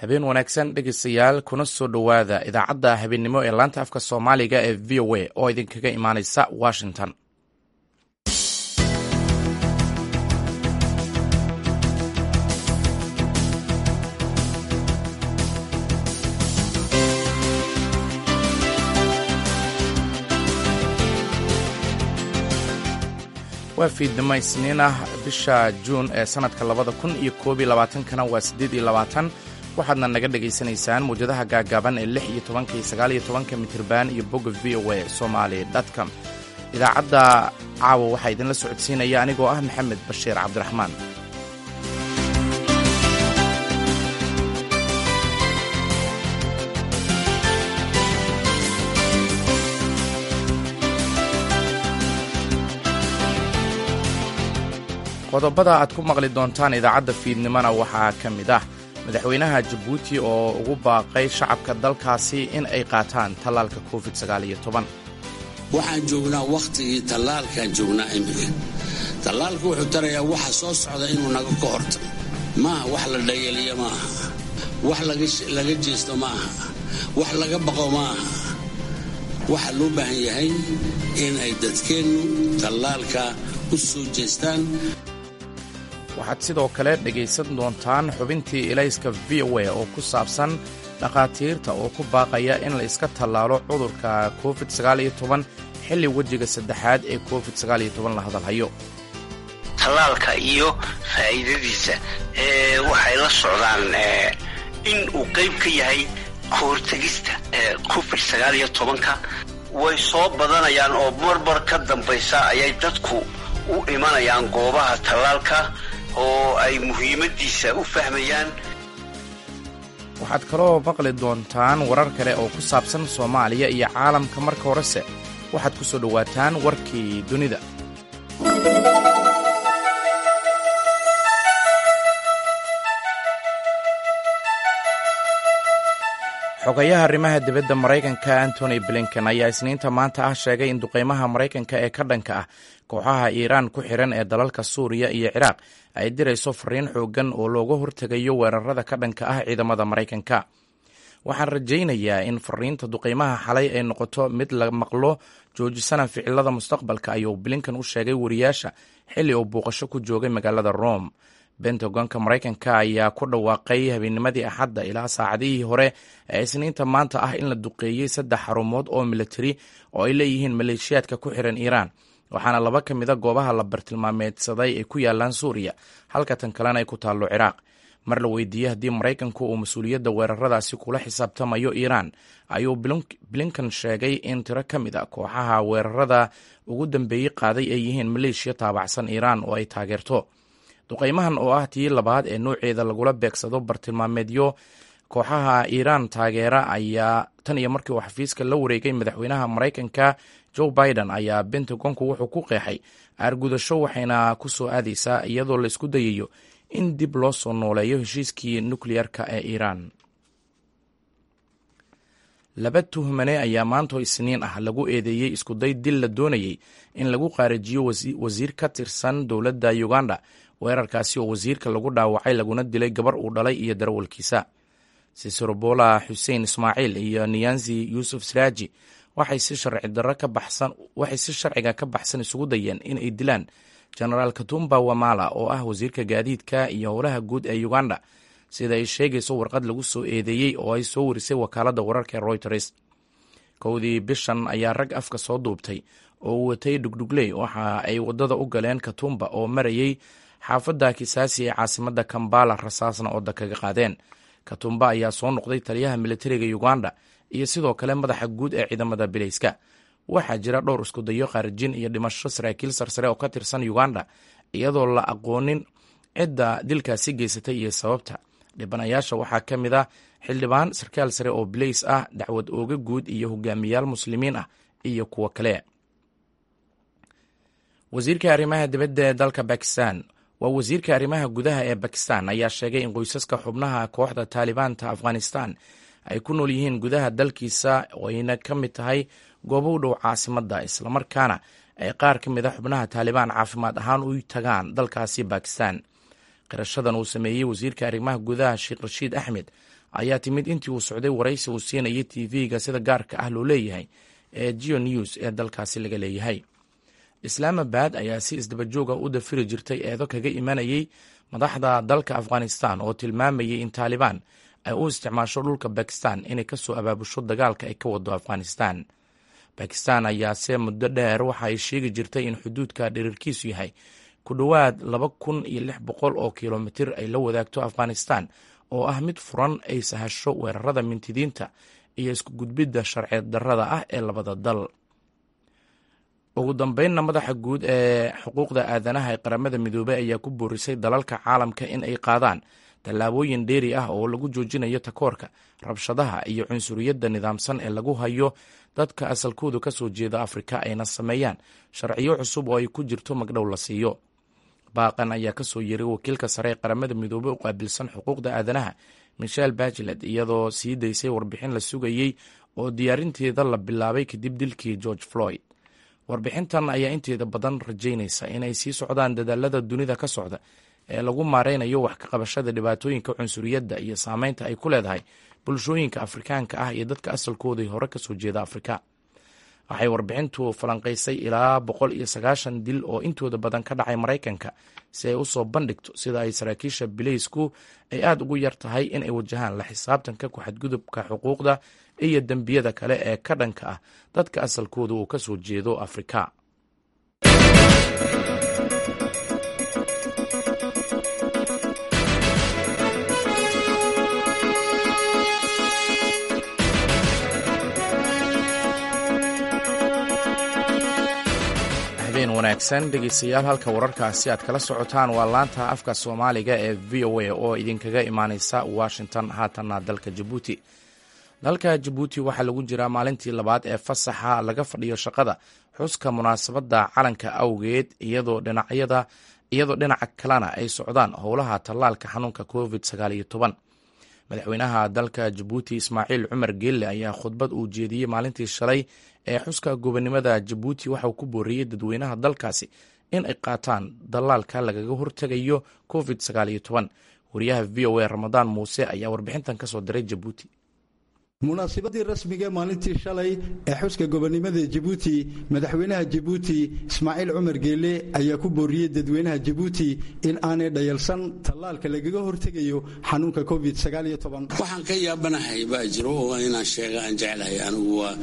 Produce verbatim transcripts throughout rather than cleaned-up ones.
Habeen wanaagsan, dhegeystayaal, kuna soo dhowaada idaacadda habeennimo ee laanta afka Soomaaliga ee V O A oo idinkaga imaaneysa Washington. Waa fiidnimo Isniin ah, bisha Juun ee sanadka labada kun iyo koob iyo labaatankana waa siddeed iyo labaatan. Waxaadna naga dhagaysanaysaan muwjadaha gaagaaban ee lix iyo tobanka iyo sagaal iyo tobanka mitirban iyo bogga V O A Somali com. Idaacadda caawa waxaa idinla socodsiinaya anigoo ah Maxamed Bashiir Cabdiraxmaan. Qodobada aad ku maqli doontaan idaacadda fiidnimona waxaa ka mid ah madaxweynaha Jabuuti oo ugu baaqay shacabka dalkaasi in ay qaataan tallaalka Covid sagaal iyo toban. Waxaan joognaa wakhtigii tallaalkaan joognaa iminka. Tallaalku wuxuu tarayaa waxa soo socda inuu naga ka hortago. Maaha wax la dhayaliyo, maaha wax laga jeesto, maaha wax laga baqo, maaha. Waxaa loo baahan yahay in ay dadkeennu tallaalka u soo jeestaan. Waxaad sidoo kale dhegaysan doontaan xubintii ilayska V O A oo ku saabsan dhakhaatiirta oo ku baaqaya in la iska tallaalo cudurka Covid sagaal iyo toban xilli wejiga saddexaad ee Covid sagaal iyo toban la hadalhayo. Tallaalka iyo faa'iidadiisa waxay la socdaan in uu qayb ka yahay kahortegista Covid sagaal iyo tobanka. Way soo badanayaan oo marmar ka dambaysa ayay dadku u imanayaan goobaha tallaalka oo ay muhiimaddiisa u fahmayaan. Waxaad kaloo maqli doontaan warar kale oo ku saabsan Soomaaliya iyo caalamka. Marka horese waxaad ku soo dhowaataan warkii dunida. Xogayaha arrimaha dibadda Maraykanka Antony Blinken ayaa Isniinta maanta ah sheegay in duqeymaha Maraykanka ee ka dhanka ah kooxaha Iiraan ku xiran ee dalalka Suuriya iyo Ciraaq ay dirayso fariin xooggan oo looga hortegayo weerarada ka dhanka ah ciidamada Maraykanka. "Waxaan rajaynayaa in fariinta duqeymaha xalay ay noqoto mid la maqlo, joojisana ficilada mustaqbalka," ayuu Blinken u sheegay wariyaasha xilli uu booqasho ku joogay magaalada Rome. Bentagonka Maraykanka ayaa ku dhawaaqay habeennimadii Axadda ilaa saacadihii hore ee Isniinta maanta ah in la duqeeyey saddex xarumood oo militari oo ay leeyihiin maleeshiyaadka ku xiran Iiraan, waxaana laba ka mida goobaha la bartilmaameedsaday ay ku yaalaan Suuriya, halka tan kalena ay ku taallo Ciraaq. Mar la weydiiyey haddii Maraykanku uu mas-uuliyadda weeraradaasi kula xisaabtamayo Iiraan, ayuu Blinken sheegay in tiro ka mid a kooxaha weerarada ugu dambeeyey qaaday ay yihiin maleeshiya taabacsan Iiraan oo ay taageerto. Duqeymahan oo ah tii labaad ee nooceeda lagula beegsado bartilmaameedyo kooxaha Iiraan taageera ayaa tan iyo markii uu xafiiska la wareegay madaxweynaha Maraykanka Joe Biden ayaa Bentagonku wuxuu ku qeexay aargudasho, waxayna ku soo aadaysaa iyadoo la isku dayayo in dib loo soo nooleeyo heshiiskii nukleyarka ee Iiraan. Laba tuhmane ayaa maanto Isniin ah lagu eedeeyey iskuday dil la doonayey in lagu qaarijiyo wasiir ka tirsan dowladda Uganda, weerarkaasi oo wasiirka lagu dhaawacay laguna dilay gabar uu dhalay iyo darawalkiisa. Sisorobola Xuseen Ismaaciil iyo Niyanzi Yuusuf Siraaji waxay si sharci darro ka baxsan waxay si sharciga ka baxsan isugu dayeen in ay dilaan Jenaraal Katumba Wamala oo ah wasiirka gaadiidka iyo howlaha guud ee Uganda, sida ay sheegayso warqad lagu soo eedeeyey oo ay soo warisay wakaaladda wararka ee Reuters. Kowdii bishan ayaa rag afka soo duubtay oo uu watay dhugdhugley waxa ay waddada u galeen Katumba oo marayey xaafadda Kisaasi ee caasimadda Kambala, rasaasna ooda kaga qaadeen. Katumba ayaa soo noqday taliyaha militariga Uganda iyo sidoo kale madaxa guud ee ciidamada bilayska. Waxaa jira dhowr iskudayo khaarijin iyo dhimasho saraakiil sarsare oo ka tirsan Uganda, iyadoo la aqoonin cidda dilkaasi geysatay iyo sababta. Dhibanayaasha waxaa ka mid ah xildhibaan, sarkaal sare oo bilays ah, dacwad ooga guud iyo hogaamiyaal Muslimiin ah iyo kuwo kale. Wasiirka arrimaha dibadda ee dalka Bakistan, waa wasiirka arrimaha gudaha ee Bakistan, ayaa sheegay in qoysaska xubnaha kooxda Taalibaanta Afghanistan ay ku nool yihiin gudaha dalkiisa oo ayna ka mid tahay goobo u dhow caasimadda, islamarkaana ay qaar ka mid a xubnaha Taalibaan caafimaad ahaan u tagaan dalkaasi Bakistan. Qirashadan uu sameeyey wasiirka arrimaha gudaha Sheekh Rashiid Axmed ayaa timid intii uu socday waraysi uu siinayay T V-ga sida gaarka ah loo leeyahay ee Geo News ee dalkaasi laga leeyahay. Islaamabad ayaa si isdabajooga u dafiri jirtay eedo kaga imanayay madaxda dalka Afghanistan oo tilmaamayay in Taalibaan ay u isticmaasho dhulka Bakistan inay kasoo abaabusho dagaalka ay ka wado Afghanistan. Bakistan ayaase muddo dheer waxa ay sheegi jirtay in xuduudka dhererkiisu yahay ku dhowaad laba kun iyo lix boqol oo kilomitir ay la wadaagto Afghanistan oo ah mid furan ay sahasho weerarada mintidiinta iyo isku gudbidda sharci darrada ah ee labada dal. Ugu dambeynna, madaxa guud ee xuquuqda aadanaha ee Qaramada Midoobey ayaa ku boorisay dalalka caalamka in ay qaadaan tallaabooyin dheeri ah oo lagu joojinayo takoorka, rabshadaha iyo cunsuriyadda nidaamsan ee lagu hayo dadka asalkoodu ka soo jeeda Afrika, ayna sameeyaan sharciyo cusub oo ay ku jirto magdhow la siiyo. Baaqan ayaa kasoo yeeray wakiilka sare ee Qaramada Midoobey u qaabilsan xuquuqda aadanaha, Michelle Bachelet, iyadoo sii daysay warbixin la sugayey oo diyaarinteeda la bilaabay kadib dilkii George Floyd. Warbixintan ayaa inteeda badan rajaynaysa inay sii socdaan dadaalada dunida ka socda ee lagu maareynayo wax ka qabashada dhibaatooyinka cunsuriyadda iyo saameynta ay ku leedahay bulshooyinka Afrikaanka ah iyo dadka asalkooda hore kasoo jeeda Afrika. Waxay warbixintu falanqaysay ilaa boqol iyo sagaashan dil oo intooda badan ka dhacay Maraykanka si ay usoo bandhigto sida ay saraakiisha bileysku ay aada ugu yar tahay in ay wajahaan la xisaabtanka ku-xadgudubka xuquuqda iyo dembiyada kale ee ka dhanka ah dadka asalkooda uu kasoo jeedo Afrika. Habeen wanaagsan, dhegeystayaal. Halka wararkaasi aad kala socotaan waa laanta afka Soomaaliga ee V O A oo idinkaga imaaneysa Washington. Haatanna dalka Jabuuti. Dalka Jabuuti waxaa lagu jiraa maalintii labaad ee fasaxa laga fadhiyo shaqada xuska munaasabadda calanka awgeed, iyadoo dhinacyada iyadoo dhinaca kalena ay socdaan howlaha tallaalka xanuunka Covid sagaal iyo toban. Madaxweynaha dalka Jabuuti, Ismaaciil Cumar Geelle, ayaa khudbad uu jeediyey maalintii shalay ee xuska gobonimada Jabuuti waxauu ku booriyey dadweynaha dalkaasi in ay qaataan dallaalka lagaga hortegayo Covid sagaal iyo toban. Wariyaha V O A Ramadaan Muuse ayaa warbixintan kasoo diray Jabuuti. Munaasabadii rasmiga ee maalintii shalay ee xuska gobonimada Jabuuti, madaxweynaha Jabuuti Ismaaciil Cumar Geele ayaa ku booriyey dadweynaha Jabuuti in aanay dhayalsan tallaalka lagaga hortegayo xanuunka Covid. Waxaan ka yaabanahay baa jiro oo inaan sheega aan jeclahay anigu, waa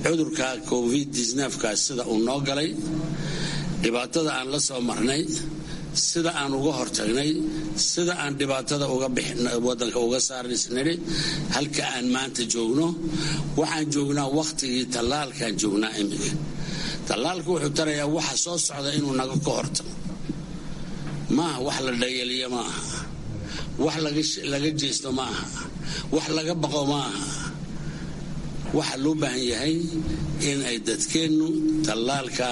cudurka Covid kaas sida uu noo galay, dhibaatada aan la soo marnay, sida aan uga hortagnay, sida aan dhibaatada uga wadanka uga saarnisnidhi, halka aan maanta joogno. Waxaan joognaa wakhtigii tallaalkaan joognaa iminka. Tallaalku wuxuu tarayaa waxa soo socda inuu naga ka hortago. Maaha wax la dhayaliyo, ma aha wax laga jeesto, ma aha wax laga baqo, ma aha. Waxaa loo baahan yahay in ay dadkeennu tallaalka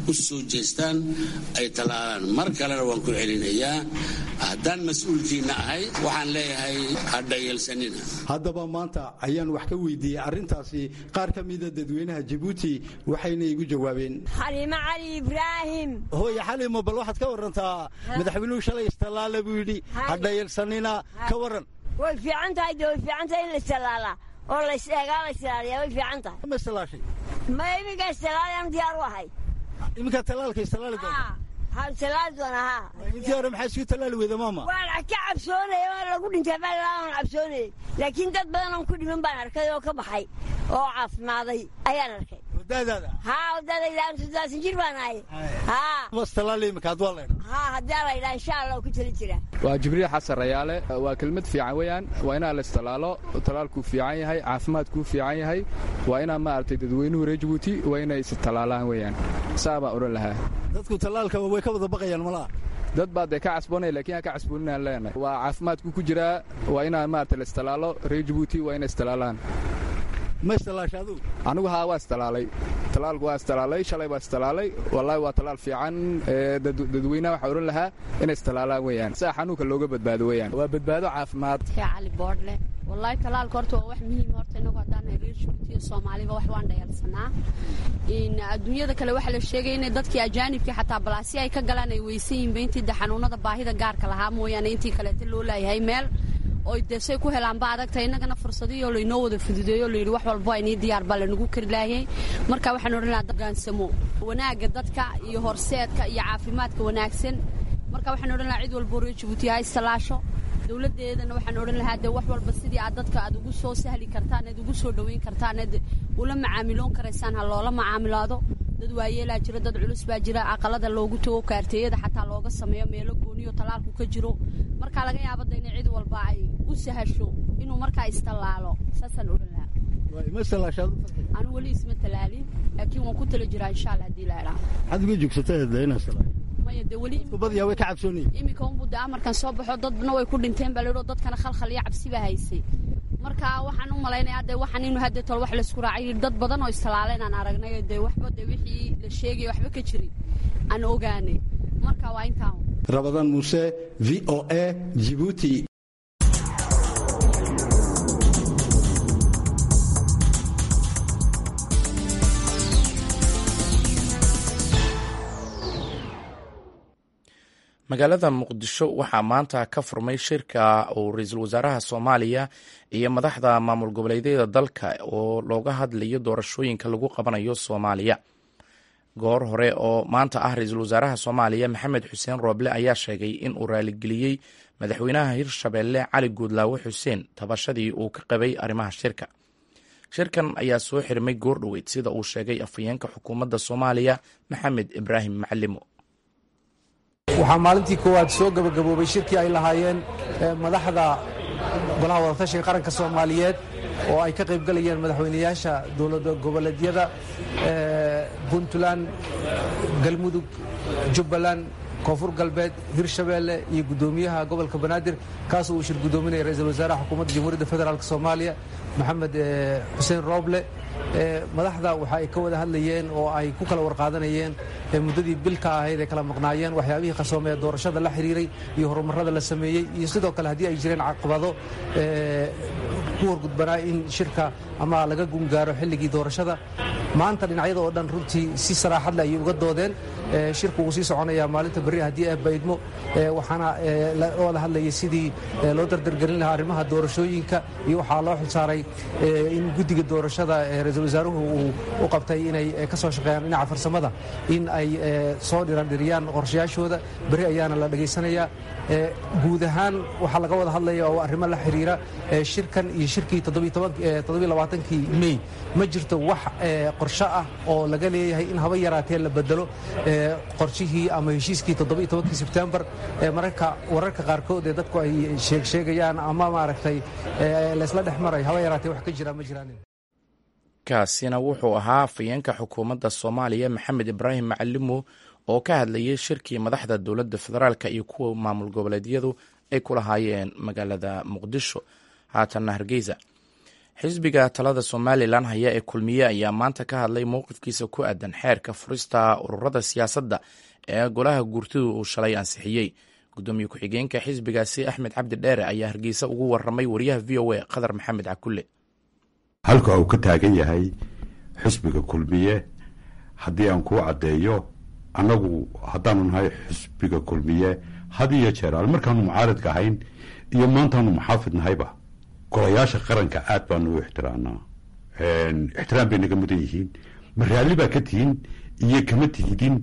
u soo jeestaan, ay tallaalaan. Mar kalena waan ku celinayaa, haddaan mas-uulkiinna ahay, waxaan leeyahay ha dhayalsanina. Haddaba maanta ayaan wax ka weydiiyey arrintaasi qaar ka mida dadweynaha Jabuuti, waxayna igu jawaabeen. Xaliimo Cali Ibraahim. Hooye Xaliimo, bal waxaad ka warantaa, madaxweynuhu shalay istallaala buu yidhi, ha dhayalsanina, ka waran? Way fiican tahay de, way fiican tahay in la istallaalaa oo la is-eegaa, la istilaaliyaa, way fiican tahay. Ma istallaashay? Ma, iminka istallaalayaan, diyaar u ahay. Iminkaa tallaalka istallaali doonta? Haa, istallaali doona, haa. Intii hore maxaa isku tallaali weyda, maama? Waan ka cabsoonaya, waa lagu dhintay baa waan cabsoonayay, laakiin dad badan oon ku dhiman baan arkay oo ka baxay oo caafimaaday ayaan arkay. Wadaadaada? Haa, wadaadayda, soddon jir baan ahay. Haa. Istallaali iminka had waa laydhaa? Haa, haddii la yidhaa, insha Allah ku tali jira. Waa Jibriil Xasan Rayaale. Waa kelmad fiican weeyaan, waa inaa la istallaalo. Tallaalkuu fiican yahay, caafimaadkuu fiican yahay. Waa inaa maaragtay dadweynuhu reer Jabuuti waa inay istallaalaan weeyaan, saa baan odhan lahaa. Dadku tallaalka way ka wada baqayaan malaha. Dad baa dee ka casboonaya, lakiin ha ka casbooninaan leenahay. Waa caafimaadku ku jiraa, waa inaa maaragtay la istallaalo. Reer Jabuuti waa inay istallaalaan. Ma istallaasha adugu? Anigu haa, waa istalaalay. Talaalku waa istalaalay, shalay baa istalaalay. Wallaahi waa talaal fiican. Dadweynaha waxaa odhan lahaa inay istalaalaan weeyaan, saa xanuunka looga badbaado weeyaan, waa badbaado caafimaad. Cali Boordle. Wallaahi talaalka horta waa wax muhiim. Horta inagu haddaan reer Jabuutiya Soomaaliba wax waan dhayalsanaa. In adduunyada kale waxaa la sheegay inay dadkii ajaanibkii xataa balaasi ay ka galaan ay weysan yihiinba, intii de xanuunada baahida gaarka lahaa mooyaane, intii kaleeta loo laayahay meel. Oy dee say ku helaanba adagta, innagana fursadihii oo laynoo wada fududeeyo, layidhi wax walba inii diyaar baa lanagu kari laayay. Marka waxaan odhan lahaa hogaansamo wanaagga dadka iyo horseedka iyo caafimaadka wanaagsan. Marka waxaan odhan lahaa cid walba reer Jabuuti ha istalaasho. Dowladdeedana waxaan odhan lahaa dee wax walba sidii aad dadka aad ugu soo sahli kartaan, aad ugu soo dhoweyn kartaan, aad ula macaamiloon karaysaan, ha loola macaamilaado. Dad waayeelaa jira, dad culus baa jira, aqalada loogu tago, kaarteeyada xataa looga sameeyo meelo gooniyo talaalku ka jiro. Marka laga yaabo da inay cid walba ay u sahasho inuu markaa istallaalo, saasaan odhan lahaa. Anu weli isma talaalin, laakiin waan ku tala jiraa insha Allah haddii la idhaa. Maxaad uga joogsataa inaad talaasho? Maya, dee weli badiyaa way ka cabsoonayeen. Iminka unbuu dee amarkan soo baxo, dadna way ku dhinteen baa la yidhi, dadkana khalkhal iyo cabsi baa haysay. Marka waxaan u malaynayaa dee waxaan inuu hadda tol wax laysku raacay, dad badan oo istalaaleen aan aragnay, dee waxba dee wixii la sheegay waxba ka jirin aan ogaanay. Marka waa intaan. Rabadaan Muuse, V O A, Jibuuti. Magaalada Muqdisho waxaa maanta ka furmay shirka uu ra-iisul wasaaraha Soomaaliya iyo madaxda maamul goboleedyada dalka oo looga hadlayo doorashooyinka lagu qabanayo Soomaaliya. Goor hore oo maanta ah, ra-iisul wasaaraha Soomaaliya Maxamed Xuseen Rooble ayaa sheegay in uu raaligeliyey madaxweynaha Hirshabeelle Cali Guudlaawe Xuseen tabashadii uu ka qabay arrimaha shirka. Shirkan ayaa soo xirmay goor dhoweyd, sida uu sheegay afhayeenka xukuumadda Soomaaliya Maxamed Ibraahim Macalimo. Waxaa maalintii koowaad soo gebagaboobay shirkii ay lahaayeen madaxda Golaha Wadatashiga Qaranka Soomaaliyeed, oo ay ka qaybgalayeen madaxweynayaasha dowlad goboleedyada Puntland, Galmudug, Jubbaland, Koonfur Galbeed, Hirshabeelle iyo guddoomiyaha gobolka Banaadir, kaas uu shir guddoominaya ra-iisul wasaaraha xukuumadda Jamhuuriyadda Federaalk Soomaaliya Maxamed Xuseen Rooble. Madaxda waxa ay ka wada hadlayeen oo ay ku kala warqaadanayeen muddadii bilka ahayd ay kala maqnaayeen waxyaabihii qasoomee doorashada la xiriiray iyo horumarrada la sameeyey, iyo sidoo kale haddii ay jireen caqabado ku horgudbanaa in shirka ama laga gungaaro xilligii doorashada. Maanta dhinacyada oo dhan runtii si saraaxad leh ayay uga doodeen. Shirku wuu sii soconayaa maalinta berri haddii ee baydmo, waxaana la wada hadlayay sidii loo dardargelin lahaa arrimaha doorashooyinka, iyo waxaa loo xilsaaray in guddiga doorashada ra-iisul wasaaruhu uu u qabtay inay ka soo shaqeeyaan dhinaca farsamada, in ay soo dhirandhiriyaan qorshayaashooda. Berri ayaana la dhegaysanayaa. Guud ahaan waxaa laga wada hadlaya oo arrimo la xiriira shirkan iyo shirkii toddobaaatankii Mey. Ma jirto wax qorsho ah oo laga leeyahay in haba yaraatee la bedelo qorshihii ama heshiiskii toddobaitobankii Sebtembar. Mararka wararka qaarkood ee dadku ay sheegsheegayaan ama maaragtay laysla dhex maray, haba yaraatee wax ka jira ma jiraan. Kaasina wuxuu ahaa afhayeenka xukuumadda Soomaaliya Maxamed Ibraahim Macalimo oo ka hadlayay shirkii madaxda dowladda federaalka iyo kuwa maamul goboleedyadu ay ku lahaayeen magaalada Muqdisho. Haatanna Hargeysa. Xisbiga talada Somalilan haya ee Kulmiye ayaa maanta ka hadlay mowqifkiisa ku aadan xeerka furista ururada siyaasadda ee golaha guurtidu uu shalay ansixiyey. Gudoomiye ku-xigeenka xisbigaasi Axmed Cabdi Dheere ayaa Hargeysa ugu waramay wariyaha V O A Qadar Maxamed Cakulle. Halka uu ka taagan yahay xisbiga Kulmiye haddii aan kuu caddeeyo, annagu haddaanu nahay xisbiga Kulmiye, had iyo jeer al markaanu mucaaridka ahayn iyo maantaanu muxaafid nahayba, golayaasha qaranka aad baanu u ixtiraamnaa, ixtiraam bay naga mudan yihiin. Ma raalli baa ka tihin iyo kama tihidin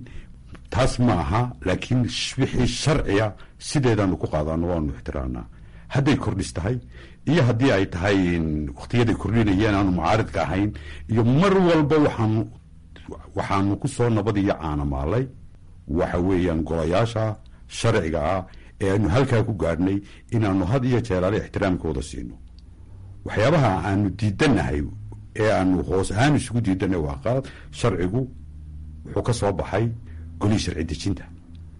taas ma aha, laakiin wixii sharciya sideedaanu ku qaadaano, waanu ixtiraamnaa, hadday kordhis tahay iyo haddii ay tahay wakhtiyaday kordhinayeen aanu mucaaridka ahayn iyo mar walba. Waxaanu waxaanu ku soo nabad iyo caanamaalay waxa weeyaan golayaasha sharciga ah ee aanu halkaa ku gaadhnay inaanu had iyo jeeraale ixtiraamkooda siino. Waxyaabaha aanu diidannahay ee aanu hoos ahaan isugu diidannahay waa qalad. Sharcigu wuxuu ka soo baxay golihii sharci dejinta,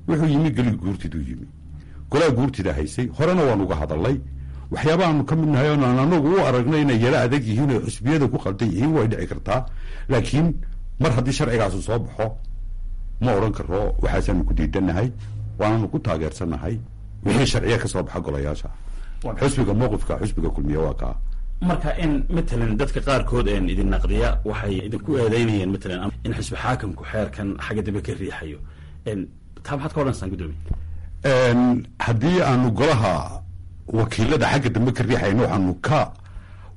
wuxuu yimi golihii guurtiduu yimi, golaha guurtida haysay. Horena waanu uga hadalnay waxyaabahaanu ka mid nahay oon aan anagu u aragnay inay yaro adag yihiin oo xusbiyada ku qaldan yihiin, way dhici kartaa, laakiin mar haddii sharcigaasu soo baxo ma odhan karo waxaasaanu ku diidannahay, waananu ku taageersannahay wixii sharciya ka soo baxa golayaasha. Xusbiga mowqifka xusbiga Kulmiye waa kaa. Marka in matalan dadka qaarkood een idin naqdiya waxay idinku eedeynayeen matalan in xisbi xaakamku xeerkan xagga dambe ka riixayo, taa maxaad ka odhanaysaa, gudoomiye? Haddii aanu golaha Wakiilada xagga dambe ka riixayna waxaanu ka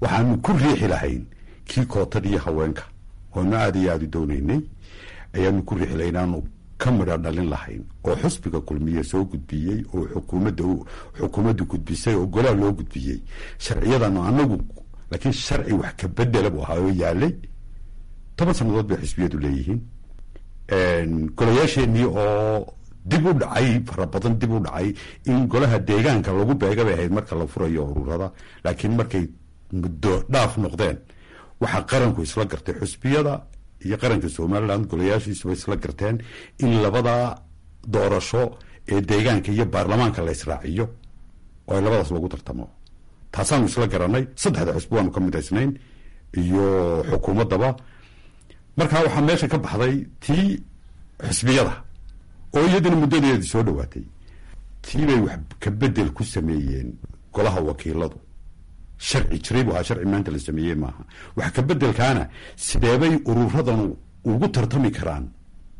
waxaanu ku riixi lahayn kii kootadii haweenka oonu aada iyo aada u doonaynay ayaanu ku riixi lahayn, aanu ka midha dhalin lahayn, oo xusbiga Kulmiye soo gudbiyey oo xukuumadda xukuumaddu gudbisay oo golaha loo gudbiyey sharciyadanu anagu. Laakiin sharci wax ka bedela buu ahaa oo yaalay. Toban sannadood bay xisbiyadu leeyihiin. Golayaasheenii oo dib u dhacay fara badan, dib u dhacay in golaha deegaanka lagu beega bay ahayd marka la furayo ururada, laakiin markay muddo dhaaf noqdeen waxaa qaranku isla gartay, xusbiyada iyo qaranka Somaliland golayaashiisuba isla garteen, in labada doorasho ee deegaanka iyo baarlamaanka la israaciyo oo ay labadaas lagu tartamo. Taasaanu isla garanay, saddexda xusbi waanu ka midaysnayn iyo xukuumaddaba. Markaa waxaa meesha ka baxday tii xusbiyada oo iyadana muddadeedii soo dhawaatay. Tii bay wax ka bedel ku sameeyeen golaha wakiiladu. Sharci jiray buu ahaa, sharci maanta la sameeyey maaha. Wax ka bedelkaana sideebay ururadanu ugu tartami karaan?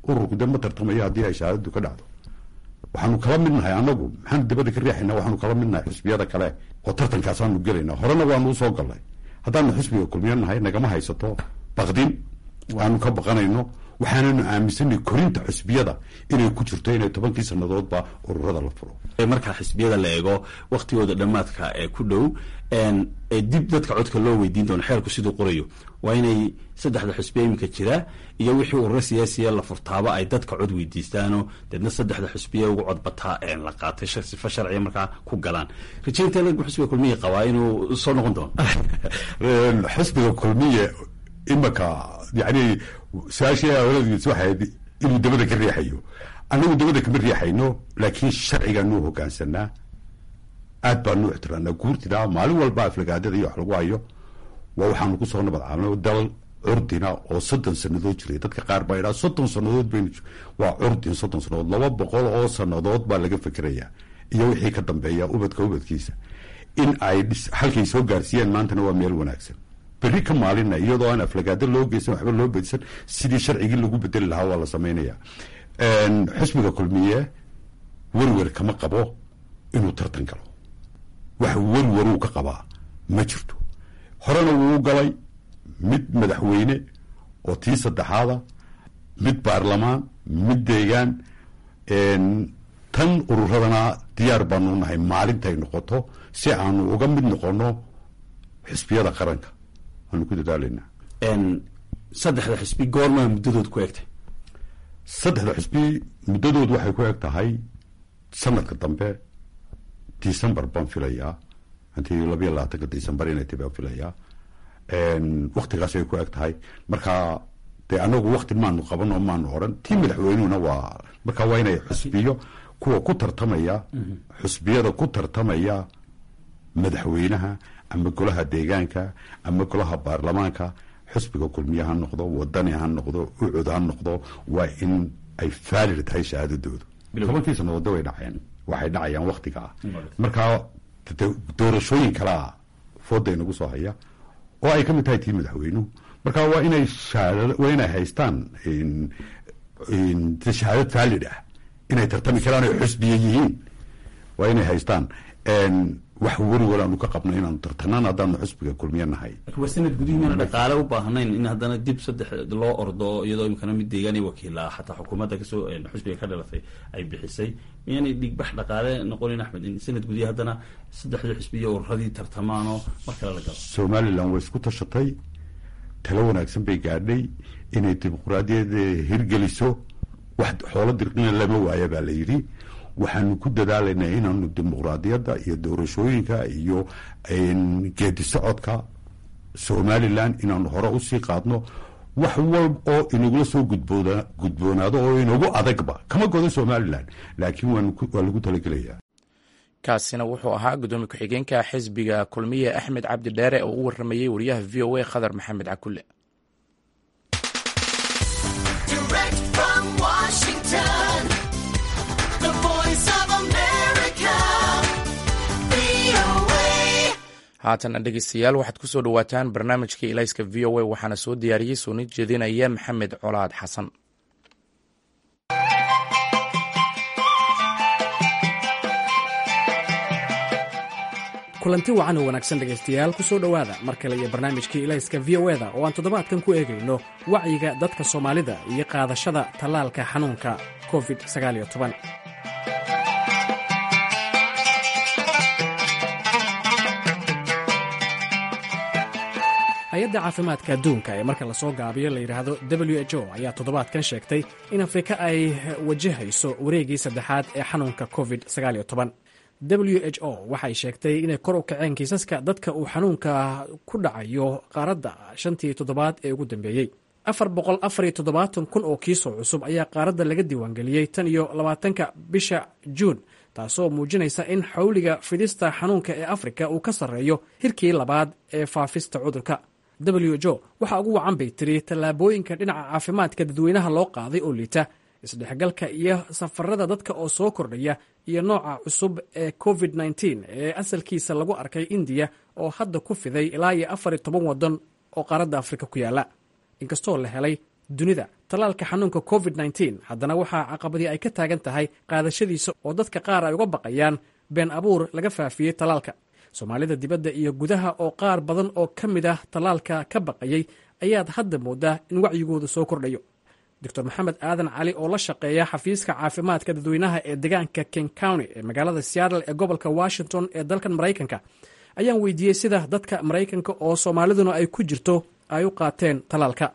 Ururku dee ma tartamayo haddii ay shahaadadu ka dhacdo. Waxaanu kala midnahay annagu, maxaanu dibadda ka riixayna? Waxaanu kala midnahay xusbiyada kale oo tartankaasaanu gelayna. Horena waanu usoo galnay. Haddaanu xusbiga Kulmiyo nahay, nagama haysato baqdin aanu ka baqanayno. Waxaananu aaminsanay korinta xusbiyada inay ku jirto inay tobankii sannadoodba ururada la furo. Marka xisbiyada la eego waktigooda dhammaadka ee ku dhow ee dib dadka codka loo weydiin doono, xeerku siduu qorayo waa inay saddexda xisbiya iminka jira iyo wixii ururo siyaasiya la furtaaba ay dadka cod weydiistaanoo deedna saddexda xisbiya ugu codbataa la qaatay sifa sharciya markaa ku galaan. Rajaynta xisbiga Kulmiye qabaa inuu soo noqon doono? Xisbiga Kulmiye imaka yani su-aashii awladiis waxay ahayd inuu dabada ka riixayo. Annagu dabada kama riixayno, laakiin sharcigaanuu hogaansanaa, aad baanu ixtiraamnaa guurtida. Maalin walba aflagaadada iyo wax lagu hayo waa waxaanu kusoo nabad caabnay dal curdina oo soddon sannadood jiray. Dadka qaar baa idhaa soddon sannadood baynu, waa curdin soddon sannadood, laba boqol oo sannadood baa laga fikerayaa iyo wixii ka dambeeya, ubadka ubadkiisa in ay halkay soo gaarsiiyaan. Maantana waa meel wanaagsan. Berri ka maalina iyadoo aan aflagaado loo geysan, waxba loo bedisan, sidii sharcigii lagu bedeli lahaa waa la sameynaya. Xisbiga Kulmiye werwer kama qabo inuu tartan galo. Wax werwaruu ka qabaa ma jirto. Horena wuu galay mid madaxweyne oo tii saddexaada, mid baarlamaan, mid deegaan. Tan ururadana diyaar baanu nahay maalintay noqoto si aanu uga mid noqono xisbiyada qaranka waanu ku dadaalaynaa. Saddexda xisbi goormaa muddadood ku egtay? Saddexda xisbi muddadood waxay ku eg tahay sanadka dambe December baan filayaa, intii labayo labaatanka December inay tahay baan filayaa. Waktigaasay ku eg tahay. Marka dee anagu wakti maanu qaban oo maanu oran. Tii madaxweynuhuna waa marka waa inay xusbiyo kuwa ku tartamaya, xusbiyada ku tartamaya madaxweynaha ama golaha deegaanka ama golaha baarlamaanka, xusbiga Kulmiye ha noqdo, Wadani ha noqdo, Ucud ha noqdo, waa in ay faalid tahay shahaadadoodu. Tobankii sannadoodda way dhaceen, waxay dhacayaan waktiga ah. Markaa doorashooyin kalaa fooda inagu soo haya oo ay ka mid tahay tii madaxweynuhu. Marka waa inay waa inay haystaan shahaadad faalid ah inay tartami karaan oy xusbiye yihiin, waa inay haystaan. Wax werwer aanu ka qabno inaanu tartanaan haddaanu xusbiga Kulmiye nahay. Waa sanad gudihi, mana dhaqaale u baahnayn in haddana dib saddex loo ordo, iyadoo imkana mid deegaan iyo wakiila xataa xukuumadda kasoo xusbiga ka dhalatay ay bixisay? Miyaanay dhigbax dhaqaale noqonin, Axmed, in sanad gudihi haddana saddexdii xusbi iyo ururadii tartamaanoo mar kale la galo? Somaliland way isku tashatay, talo wanaagsan bay gaadhay inay dimuqraadiyadda hirgeliso. Wax xoolo dirqina lama waaya baa la yidhi. Waxaanu ku dadaalaynaa inaanu dimuqraadiyadda iyo doorashooyinka iyo geedi socodka Somaliland inaanu hore usii qaadno. Wax walba oo inagula soo gudbooda gudboonaado oo inagu adagba kama godo Somaliland, laakiin waa lagu talagelayaa. Kaasina wuxuu ahaa gudoomiye ku-xigeenka xisbiga Kulmiye Axmed Cabdi Dheere oo u waramayey wariyaha V O A Khadar Maxamed Cakulle. Haatana dhegeystayaal, waxaad ku soo dhowaataan barnaamijkii Ilayska V O A. Waxaana soo diyaariyey soona jeedinaya Maxamed Colaad Xasan. Kulanti wacan oo wanaagsan, dhegaystayaal, ku soo dhowaada mar kale iyo barnaamijkii Ilayska V O E-da oo aan toddobaadkan ku eegayno wacyiga dadka Soomaalida iyo qaadashada tallaalka xanuunka covid sagaal iyo toban. Hay-adda caafimaadka adduunka ee marka lasoo gaabiyo la yidhaahdo W H O ayaa toddobaadkan sheegtay in Afrika ay wajahayso wareegii saddexaad ee xanuunka covid sagaal iyo toban. W H O waxay sheegtay inay kor u kaceen kiisaska dadka uu xanuunka ku dhacayo qaaradda shantii toddobaad ee ugu dambeeyey. Afar boqol afar iyo toddobaatan kun oo kiisoo cusub ayaa qaaradda laga diiwaangeliyey tan iyo labaatanka bisha Juun, taasoo muujinaysa in xawliga fidista xanuunka ee Afrika uu ka sarreeyo hirkii labaad ee faafista cudurka. W H O waxaa ugu wacan, bay tiri, tallaabooyinka dhinaca caafimaadka dadweynaha loo qaaday oo liita, isdhexgalka iyo safarada dadka oo soo kordhaya, iyo nooca cusub ee covid nineteen ee asalkiisa lagu arkay Indiya oo hadda ku fiday ilaa iyo afar iyo toban waddan oo qaaradda Afrika ku yaala. Inkastoo la helay dunida tallaalka xanuunka covid nineteen, haddana waxaa caqabadii ay ka taagan tahay qaadashadiisa oo dadka qaar ay uga baqayaan been abuur laga faafiyey tallaalka. Soomaalida dibadda iyo gudaha oo qaar badan oo ka mid ah tallaalka ka baqayay ayaad hadda moodaa in wacyigoodu soo kordhayo. Doctor Maxamed Aadan Cali oo la shaqeeya xafiiska caafimaadka dadweynaha ee deegaanka King County ee magaalada Seattle ee gobolka Washington ee dalkan Maraykanka ayaan weydiiyey sida dadka Maraykanka oo Soomaaliduna ay ku jirto ay u qaateen tallaalka.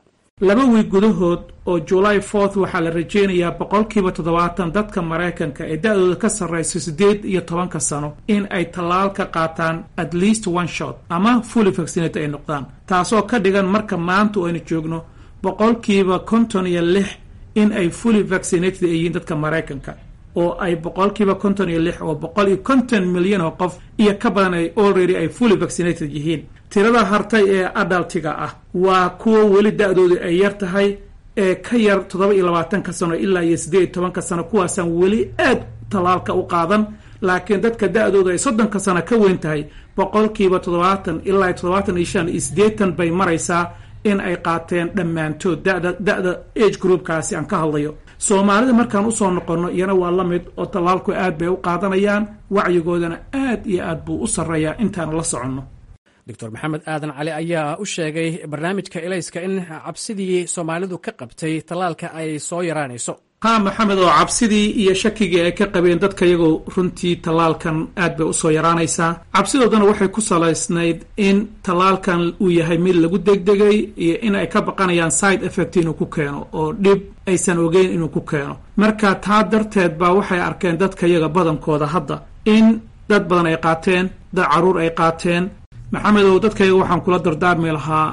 Laba wiig gudahood oo July fourth waxaa la rajeynayaa boqolkiiba toddobaatan dadka Maraykanka ee da-dooda ka sarreysa siddeed iyo tobanka sano in ay tallaal ka qaataan at least one shot ama fully vaccinated ay noqdaan, taasoo ka dhigan marka maanta aynu joogno boqolkiiba konton iyo lix in ay fully vaccinated ay yihiin dadka Maraykanka, oo ay boqolkiiba konton iyo lix oo boqol iyo konton milyan oo qof iyo ka badan ay already ay fully vaccinated yihiin. Tirada hartay ee adult-iga ah waa kuwa weli da-doodu ay yar tahay ee ka yar toddoba iyo labaatanka sano ilaa iyo siddeed iyo tobanka sano. Kuwaasaan weli aad tallaalka u qaadan, laakiin dadka da-doodu ay soddonka sano ka weyn tahay boqolkiiba toddobaatan ilaa iyo toddobaatan iyo shan iyo siddeetan bay maraysaa in ay qaateen dhammaantood dada da-da age group-kaasi aan ka hadlayo. Soomaalida markaan usoo noqonno, iyana waa la mid oo tallaalku aad bay u qaadanayaan, wacyigoodana aad iyo aad buu u sarreeyaa intaanu la soconno. Doctor Maxamed Aadan Cali ayaa u sheegay barnaamijka Ilayska in cabsidii Soomaalidu ka qabtay tallaalka ay soo yaraanayso. Ha, Maxamed, oo cabsidii iyo shakigii ay ka qabeen dadka iyagoo runtii tallaalkan aad bay usoo yaraanaysaa. Cabsidoodana waxay ku salaysnayd in tallaalkan uu yahay mid lagu degdegay iyo in ay ka baqanayaan side effect inuu ku keeno oo dhib aysan ogeyn inuu ku keeno. Marka taa darteed baa waxay arkeen dadka iyaga badankooda hadda in dad badan ay qaateen, dad carruur ay qaateen. Maxamedow, dadkayaga waxaan kula dardaarmi lahaa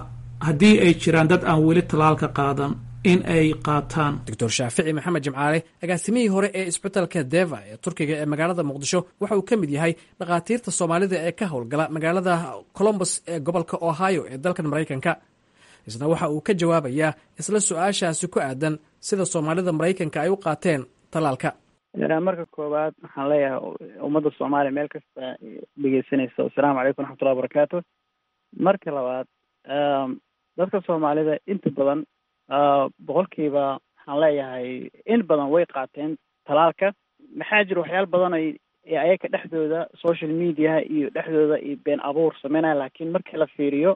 haddii ay jiraan dad aan weli tallaalka qaadan in ay qaataan. Doctor Shaafici Maxamed Jimcaale, agaasimihii hore ee isbitalka Deva ee Turkiga ee magaalada Muqdisho, waxa uu ka mid yahay dhakhaatiirta Soomaalida ee ka howlgala magaalada Columbus ee gobolka Ohio ee dalkan Maraykanka. Isna waxa uu ka jawaabayaa isla su-aashaasi ku aadan sida Soomaalida Maraykanka ay u qaateen tallaalka. Marka koowaad waxaan leeyahay ummadda Soomaaliya meel kasta dhegeysanaysa, assalaamu calaykum waraxmatullahi wabarakaatu. Marka labaad, dadka Soomaalida inta badan, boqolkiiba waxaan leeyahay in badan way qaateen talaalka. Maxaa jira, waxyaala badan ay ayaga dhexdooda social media-ha iyo dhexdooda iyo been abuur sameynaya, laakiin markii la fiiriyo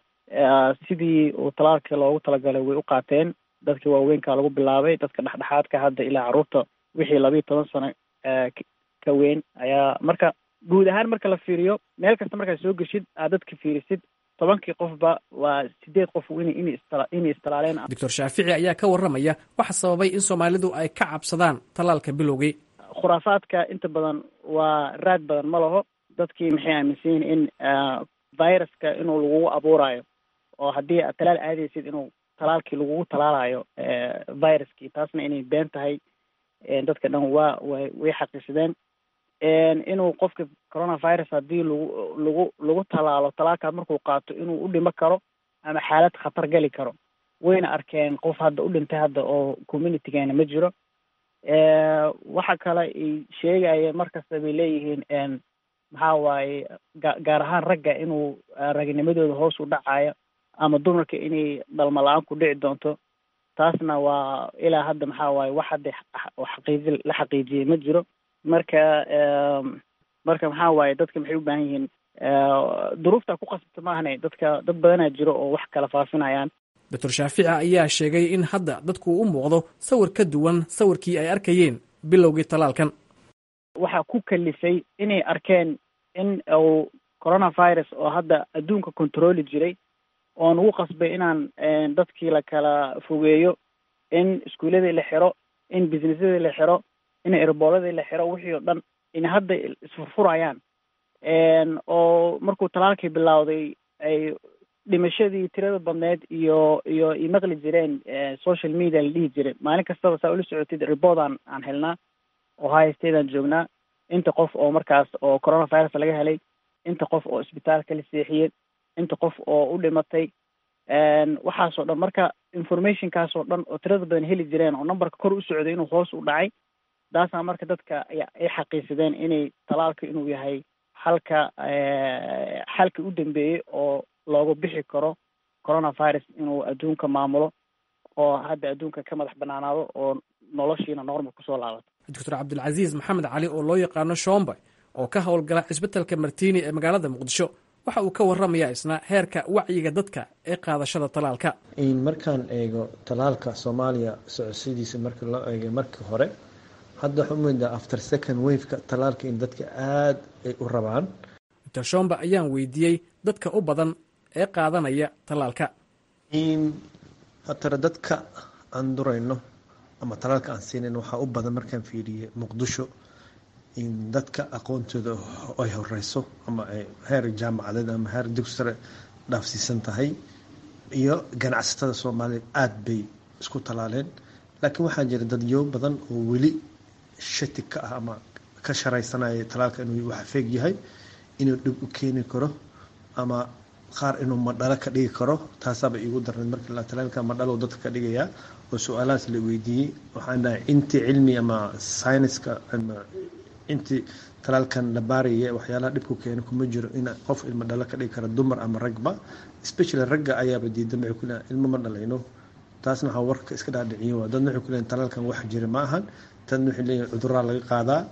sidii uu talaalka loogu talagalay way u qaateen. Dadka waaweynka lagu bilaabay, dadka dhexdhexaadka, hadda ilaa carruurta wixii labiiyo toban sano ka weyn ayaa. Marka guud ahaan marka la fiiriyo, meel kasta markaad soo geshid, aad dadka fiirisid, tobankii qofba waa sideed qof in in inay istalaaleen. Doctor Shaafici ayaa ka warramaya waxa sababay in Soomaalidu ay ka cabsadaan tallaalka bilowgii. Khuraafaadka inta badan waa raad badan ma laho. Dadkii maxay aaminsan yihiin in viruska inuu lagugu abuurayo, oo haddii aad talaal aadaysid inuu talaalkii lagugu talaalayo viruskii, taasna inay been tahay dadka dhan waa way way xaqiisadeen. Inuu qofka coronavirus haddii lagu lagu lagu talaalo, talaalkaas markuu qaato inuu u dhimo karo ama xaalad khatar geli karo, wayna arkeen. Qof hadda u dhintay hadda oo community-geena ma jiro. Waxa kale ay sheegaya markasta bay leeyihiin maxaa waaye, gaar ahaan ragga inuu ragnimadooda hoos u dhacayo ama dumarka inay dhalmo la-aan ku dhici doonto. Taasna waa ilaa hadda maxaa waaye, wax hadda xaqiiji la xaqiijiyey ma jiro. Marka marka maxaa waaye, dadka maxay u baahan yihiin Duruufta ku qasabta maahane, dadka dad badanaa jiro oo wax kala faafinayaan. Doctor Shaafici ayaa sheegay in hadda dadku u muuqdo sawir ka duwan sawirkii ay arkayeen bilowgii tallaalkan. Waxaa ku kalifay inay arkeen in uu coronavirus oo hadda adduunka controli jiray oo nagu qasbay inaan dadkii la kala fogeeyo, in iskuuladii la xiro, in businessadii la xiro, in airportyadii la xiro, wixii oo dhan in hadda isfurfurayaan, oo markuu talaalkii bilowday ay dhimashadii tirada badneed iyo iyo i maqli jireen, social media la dhihi jiray maalin kastaba. Saa ula socotid, report aan aan helnaa, Ohio State aan joognaa, inta qof oo markaas oo coronavirus laga helay, inta qof oo isbitaalka la seexiyey, inta qof oo u dhimatay, waxaasoo dhan. Marka informationkaasoo dhan oo tirada badan heli jireen oo numberka kor u socday inuu hoos u dhacay, taasaa marka dadka ay xaqiisadeen inay talaalka inuu yahay halka xalka u dambeeyey oo looga bixi karo coronavirus inuu adduunka maamulo oo hadda adduunka ka madax banaanaado oo noloshiina normal kusoo laabato. Doctor Cabdilcasiis Maxamed Cali oo loo yaqaano Shombe oo ka howlgala cisbitalka Martiini ee magaalada Muqdisho waxa uu ka warramayaa isna heerka wacyiga dadka ee qaadashada talaalka. Markaan eego talaalka Soomaaliya socodsidiisa, marka loo eegay markii hore, hadda waxaa umoodaa after second waveka talaalka in dadka aada ay u rabaan. Doctor Shombe ayaan weydiiyey dadka u badan ee qaadanaya talaalka. Hatara dadka aan durayno ama talaalka aan siinayn waxaa u badan, markaan fiiriyey Muqdisho, in dadka aqoontooda ay horeyso ama ay heer jaamacadeed ama heer dugsi sare dhaafsiisan tahay, iyo ganacsatada Soomaaliyeed aada bay isku talaaleen. Laakiin waxaa jira dadyo badan oo weli shati ka ah ama ka sharaysanaya talaalka inuu wax feeg yahay, inuu dhib u keeni karo, ama qaar inuu madhalo ka dhigi karo. Taasaaba iigu darnayd marka talaalka madhalo dadka ka dhigayaa oo su-aalahaas la weydiiyey. Waxaan dhahay intii cilmi ama sayniska ama intii talaalkan la baaraya, waxyaalaha dhibku keena kuma jiro in qof ilmo dhalo ka dhigi kara, dumar ama ragba. Especially ragga ayaaba diidan, waxay ku leeyihin ilmo ma dhalayno. Taasna waxaa warka iska dhaadhiciyo waa dadna waxay ku leeyihin talaalkan wax jira ma ahan, tan waxay leeyihin cuduraa laga qaadaa.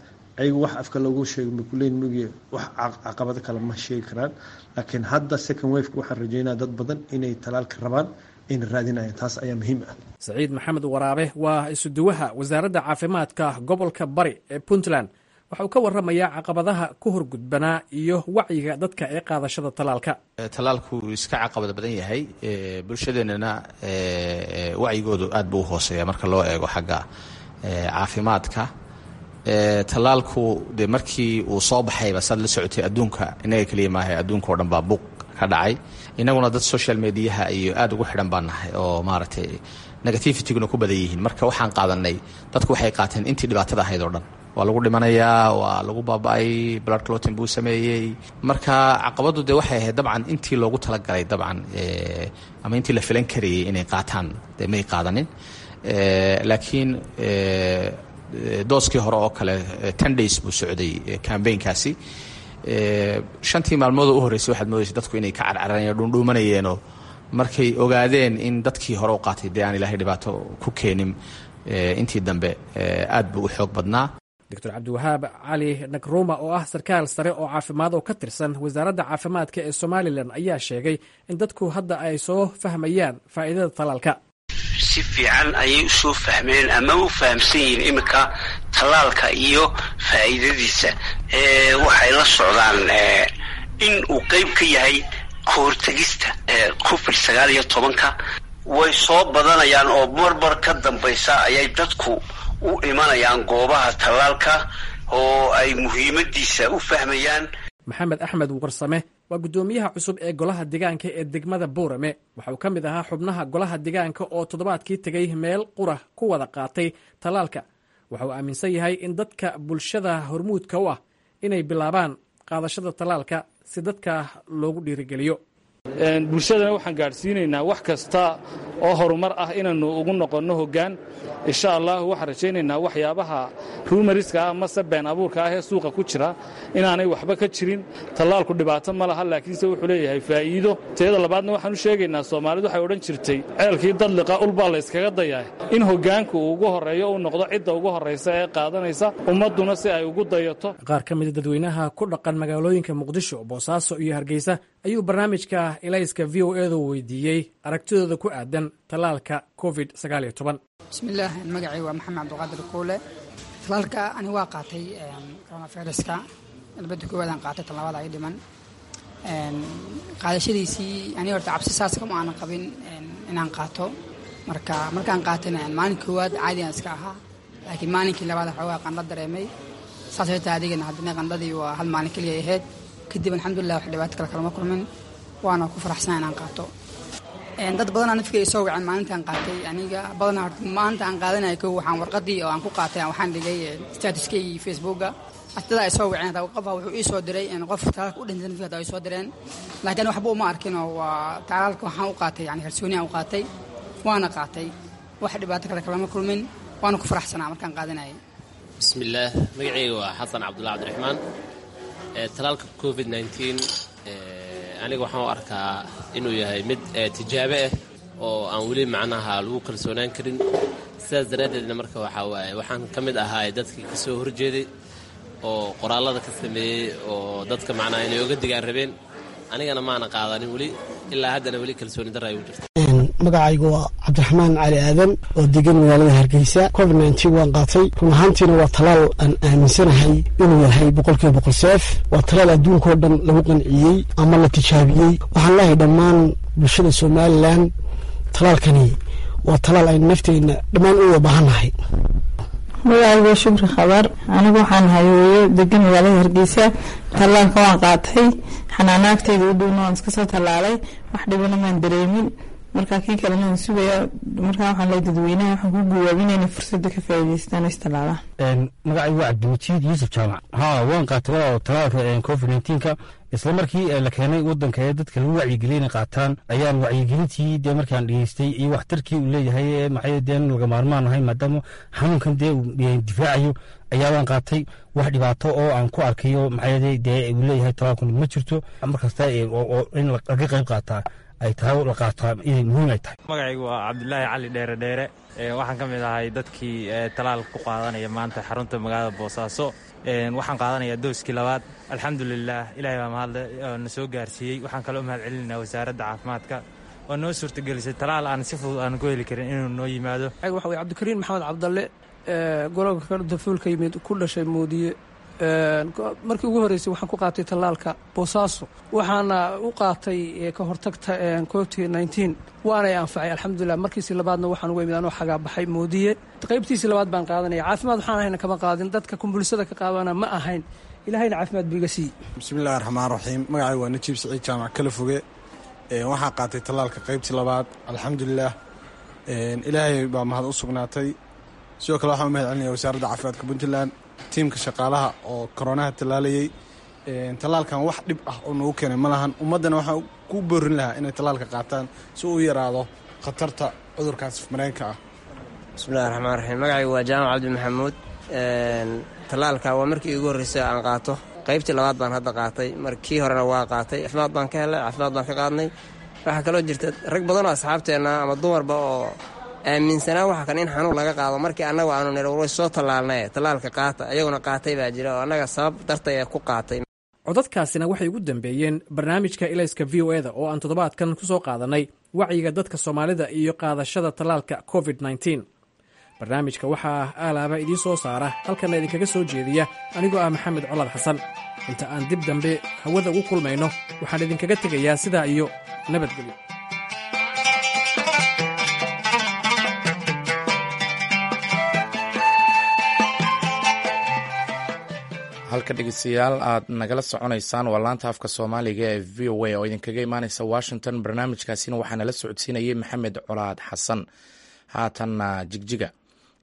Ayagu wax afka loogu sheego ma kuleeyihin mugiye, wax caqabado kale ma sheegi karaan. Laakiin hadda second wave waxaan rajeynaya dad badan inay talaalka rabaan, ayna raadinayaan. Taas ayaa muhiim ah. Saciid Maxamed Waraabe waa isuduwaha wasaaradda caafimaadka gobolka Bari ee Puntland. Waxa uu ka warramayaa caqabadaha ku horgudbanaa iyo wacyiga dadka ee qaadashada talaalka. Talaalku iska caqabad badan yahay, bulshadeennana wacyigoodu aad buu u hooseeya marka loo eego xagga caafimaadka. Talaalku dee markii uu soo baxayba, saad la socotay, adduunka innaga keliya maaha, adduunka oo dhan baa buuq ka dhacay. Innaguna dad social mediaha iyo aad ugu xidhan baan nahay oo maaragtay negativityguna ku badan yihiin. Marka waxaan qaadanay, dadku waxay qaateen intii dhibaatada ahayd oo dhan, waa lagu dhimanayaa, waa lagu baaba-ay, blood clotin buu sameeyey. Marka caqabaddu dee waxay ahayd dabcan intii loogu talagalay dabcan ama intii la filan karayay inay qaataan dee may qaadanin. Laakiin dooskii hore oo kale ten days buu socday cambaynkaasi. Shantii maalmoodoo u horreysay waxaad moodaysa dadku inay ka carcarayeen, dhuundhuumanayeenoo markay ogaadeen in dadkii hore u qaatay dee aan ilaahay dhibaato ku keenin, intii dambe aad buu u xoog badnaa. Doctor Cabdiwahaab Cali Nagruma oo ah sarkaal sare oo caafimaad oo ka tirsan wasaaradda caafimaadka ee Somalilan ayaa sheegay in dadku hadda ay soo fahmayaan faa'iidada talaalka. Si fiican ayay usoo fahmeen ama u fahamsan yihiin iminka tallaalka iyo faa'iidadiisa. Waxay la socdaan in uu qayb ka yahay kahortegista covid sagaal iyo tobanka. Way soo badanayaan oo marmar ka dambaysa ayay dadku u imanayaan goobaha tallaalka oo ay muhiimadiisa u fahmayaan. Maxamed Axmed Warsame waa guddoomiyaha cusub ee golaha deegaanka ee degmada Boorame. Waxa uu ka mid ahaa xubnaha golaha deegaanka oo toddobaadkii tegay meel qura ku wada qaatay tallaalka. Waxa uu aaminsan yahay in dadka bulshada hormuudka u ah inay bilaabaan qaadashada tallaalka si dadka loogu dhiirigeliyo. Bulshadana waxaan gaadhsiinaynaa wax kasta oo horumar ah inaannu ugu noqonno hoggaan, insha allah. Waxaan rajaynaynaa waxyaabaha ruumariska ah mase been abuurka ah ee suuqa ku jira inaanay waxba ka jirin. Tallaalku dhibaato ma laha, laakiinse wuxuu leeyahay faa'iido. Teeda labaadna waxaan u sheegaynaa, Soomaalidu waxay odhan jirtay ceelkii dadliqa ulbaa layskaga dayaa, in hoggaanku uu ugu horreeyo, uu noqdo cidda ugu horraysa ee qaadanaysa, ummadduna si ay ugu dayato. Qaar ka mida dadweynaha ku dhaqan magaalooyinka Muqdisho, Boosaaso iyo Hargeysa ayuu barnaamijka Ilayska V O edu weydiiyey aragtidooda ku aadan tallaalka covid sagaal iyo toban. Bismillaah, magacay waa Maxamed Cabdiqaadir Kuule. Tallaalka ani waa qaatay coronaviruska. Irbadda koowaadaan qaatay, tan labaad ay dhiman. Qaadashadiisii ani horta cabsi saas kama aanan qabin inaan qaato. Marka markaan qaatayna, maalin koowaad caadi aan iska ahaa, laakiin maalinkii labaad waxoogaa qandho dareemay. Saas xitaa adigana haddana qandhadii waa hal maalin keliya ahayd. Kadib alxamdulilah, wax dhibaato kale kalama kulmin, waana ku faraxsan inaan qaato. Dad badanaa nafkay soo waceen maalintaan qaatay. Aniga badanaa horta maalinta aan qaadanayo kow, waxaan warqadii oo aan ku qaatay waxaan dhigay statuskay Facebooka. Dadaa ay soo waceen, hataa qofa wuxuu ii soo diray qof talaalka u dhintay nafka, hataa ay soo direen, laakiin waxba uma arkin oo waa talaalka waxaan u qaatay, yani kalsooni aan u qaatay, waana qaatay, wax dhibaato kale kalama kulmin, waana ku faraxsanaa markaan qaadanayay. Bismillaah, magacayga waa Xasan Cabdulla Cabdiraxmaan. Talaalka covid nineteen aniga waxaan u arkaa inuu yahay mid tijaabe ah oo aan weli macnaha lagu kalsoonaan karin. Sidaas daraaddeedna marka waxaa waaye waxaan ka mid ahaa dadkii ka soo horjeeday oo qoraallada ka sameeyey oo dadka macnaha inay oga digaan rabeen. Anigana maana qaadanin weli, ilaa haddana weli kalsooni darra ay ugu jirta. Magacaygu waa Cabdiraxmaan Cali Aadan oo degan magaalada Hargeysa. Covid nineteen waan qaatay. Run ahaantiina waa talaal aan aaminsanahay inuu yahay boqolkiiba boqol safe. Waa talaal adduunkao dhan lagu qanciyey ama la tijaabiyey. Waxaan leeyahay dhammaan bulshada Somalilan, talaalkani waa talaal aynu nafteenna dhammaan u wada baahannahay. Magacaygu waa Shukri Khabar. Anigu waxaan ahay hooyo degan magaalada Hargeysa. Tallaalka waan qaatay, xanaanaagtayda u dhowna waan iska soo tallaalay, wax dhibana maan dareemin. Marka kii kalena waan sugaya. Markaa waxaan leeyahay dadweynaha, waxaan ku guwaabinaya inay fursadda ka faa'iidaystaan oo istallaalaan. Magacaygu waa Cabdimajid Yuusuf Jaamac. Haa, waan qaatay walaal talaalka covid nineteenka. Isla markii la keenay wadanka ee dadka lagu wacyigeliyay inay qaataan ayaan wacyigelintii dee markaan dhegeystay iyo waxtarkii uu leeyahay, maxay dee laga maarmaan ahay maadaama xanuunkan dee uu difaacayo, ayaabaan qaatay. Wax dhibaato oo aan ku arkayo maxay dee uu leeyahay talaalkan ma jirto. Markasta oo in laga qayb qaataa ay tahay, la qaataa inay muhiim ay tahay. Magacaygu waa Cabdulaahi Cali Dheere Dheere. Waxaan ka mid ahay dadkii talaal ku qaadanaya maanta xarunta magaalada Boosaaso. Waxaan qaadanayaa dooskii labaad. Alxamdulilah, Ilahay baa mahadle oo na soo gaarsiiyey. Waxaan kaloo mahad celinaynaa wasaaradda caafimaadka oo noo suurtagelisay talaal aan si fudud aan ku heli karin inuu noo yimaado. Waxa weye Cabdikariin Maxamed Cabdalle, gololka dafuulka yimid, ku dhashay Moodiye. Markii ugu horreysay waxaan ku qaatay tallaalka Boosaaso, waxaana u qaatay ka hortagta covid nineteen, waanay anfacay alxamdulilah. Markiisii labaadna waxaan uga imid anoo xagaa baxay Moodiye. Qaybtiisii labaad baan qaadanaya. Caafimaad waxaan ahayna kama qaadin, dadka kumbulsada ka qaadana ma ahayn, Ilahayna caafimaad buu iga siiyey. Bismillahi raxmaan raxiim. Magacay waa Najiib Siciid Jaamac Kala Foge. Waxaan qaatay tallaalka qaybtii labaad, alxamdulilah, Ilaahay baa mahad u sugnaatay. Sidoo kale waxaan u mahad celinaya wasaaradda caafimaadka Puntland, tiimka shaqaalaha oo koronaha tallaalayay. Tallaalkan wax dhib ah oo nagu keenay ma lahan. Ummaddana waxaan ku boorin lahaa inay tallaalka qaataan si uu yaraado khatarta cudurkaas mareenka ah. Bismillahi raxmaan raxiim. Magacaygu waa Jaamac Cabdi Maxamuud. Tallaalka waa markii iigu horreysay aan qaato. Qaybtii labaad baan hadda qaatay, markii horena waa qaatay. Caafimaad baan ka helay, caafimaad baan ka qaadnay. Waxaa kaloo jirta rag badan oo asxaabteenna ama dumarba oo aaminsanaa waxa kan in xanuun laga qaado. Markii annagu aanu nir way soo tallaalnay, tallaalka qaata, ayaguna qaatay baa jira oo annaga sabab dartay ee ku qaatay. Codadkaasina waxay ugu dambeeyeen barnaamijka Ilayska V O eda oo aan toddobaadkan ku soo qaadanay wacyiga dadka Soomaalida iyo qaadashada tallaalka covid nineteen. Barnaamijka waxaa aalaaba idiin soo saara, halkanna idinkaga soo jeediya anigoo ah Maxamed Colaad Xasan. Inta aan dib dambe hawada ugu kulmayno, waxaan idinkaga tegayaa sidaa iyo nabadgelyo. Halka dhegeystayaal aad nagala soconaysaan waa laanta afka Soomaaliga ee V O A oo idinkaga imaaneysa Washington. Barnaamijkaasina waxaa nala socodsiinayay Maxamed Colaad Xasan. Haatanna Jigjiga.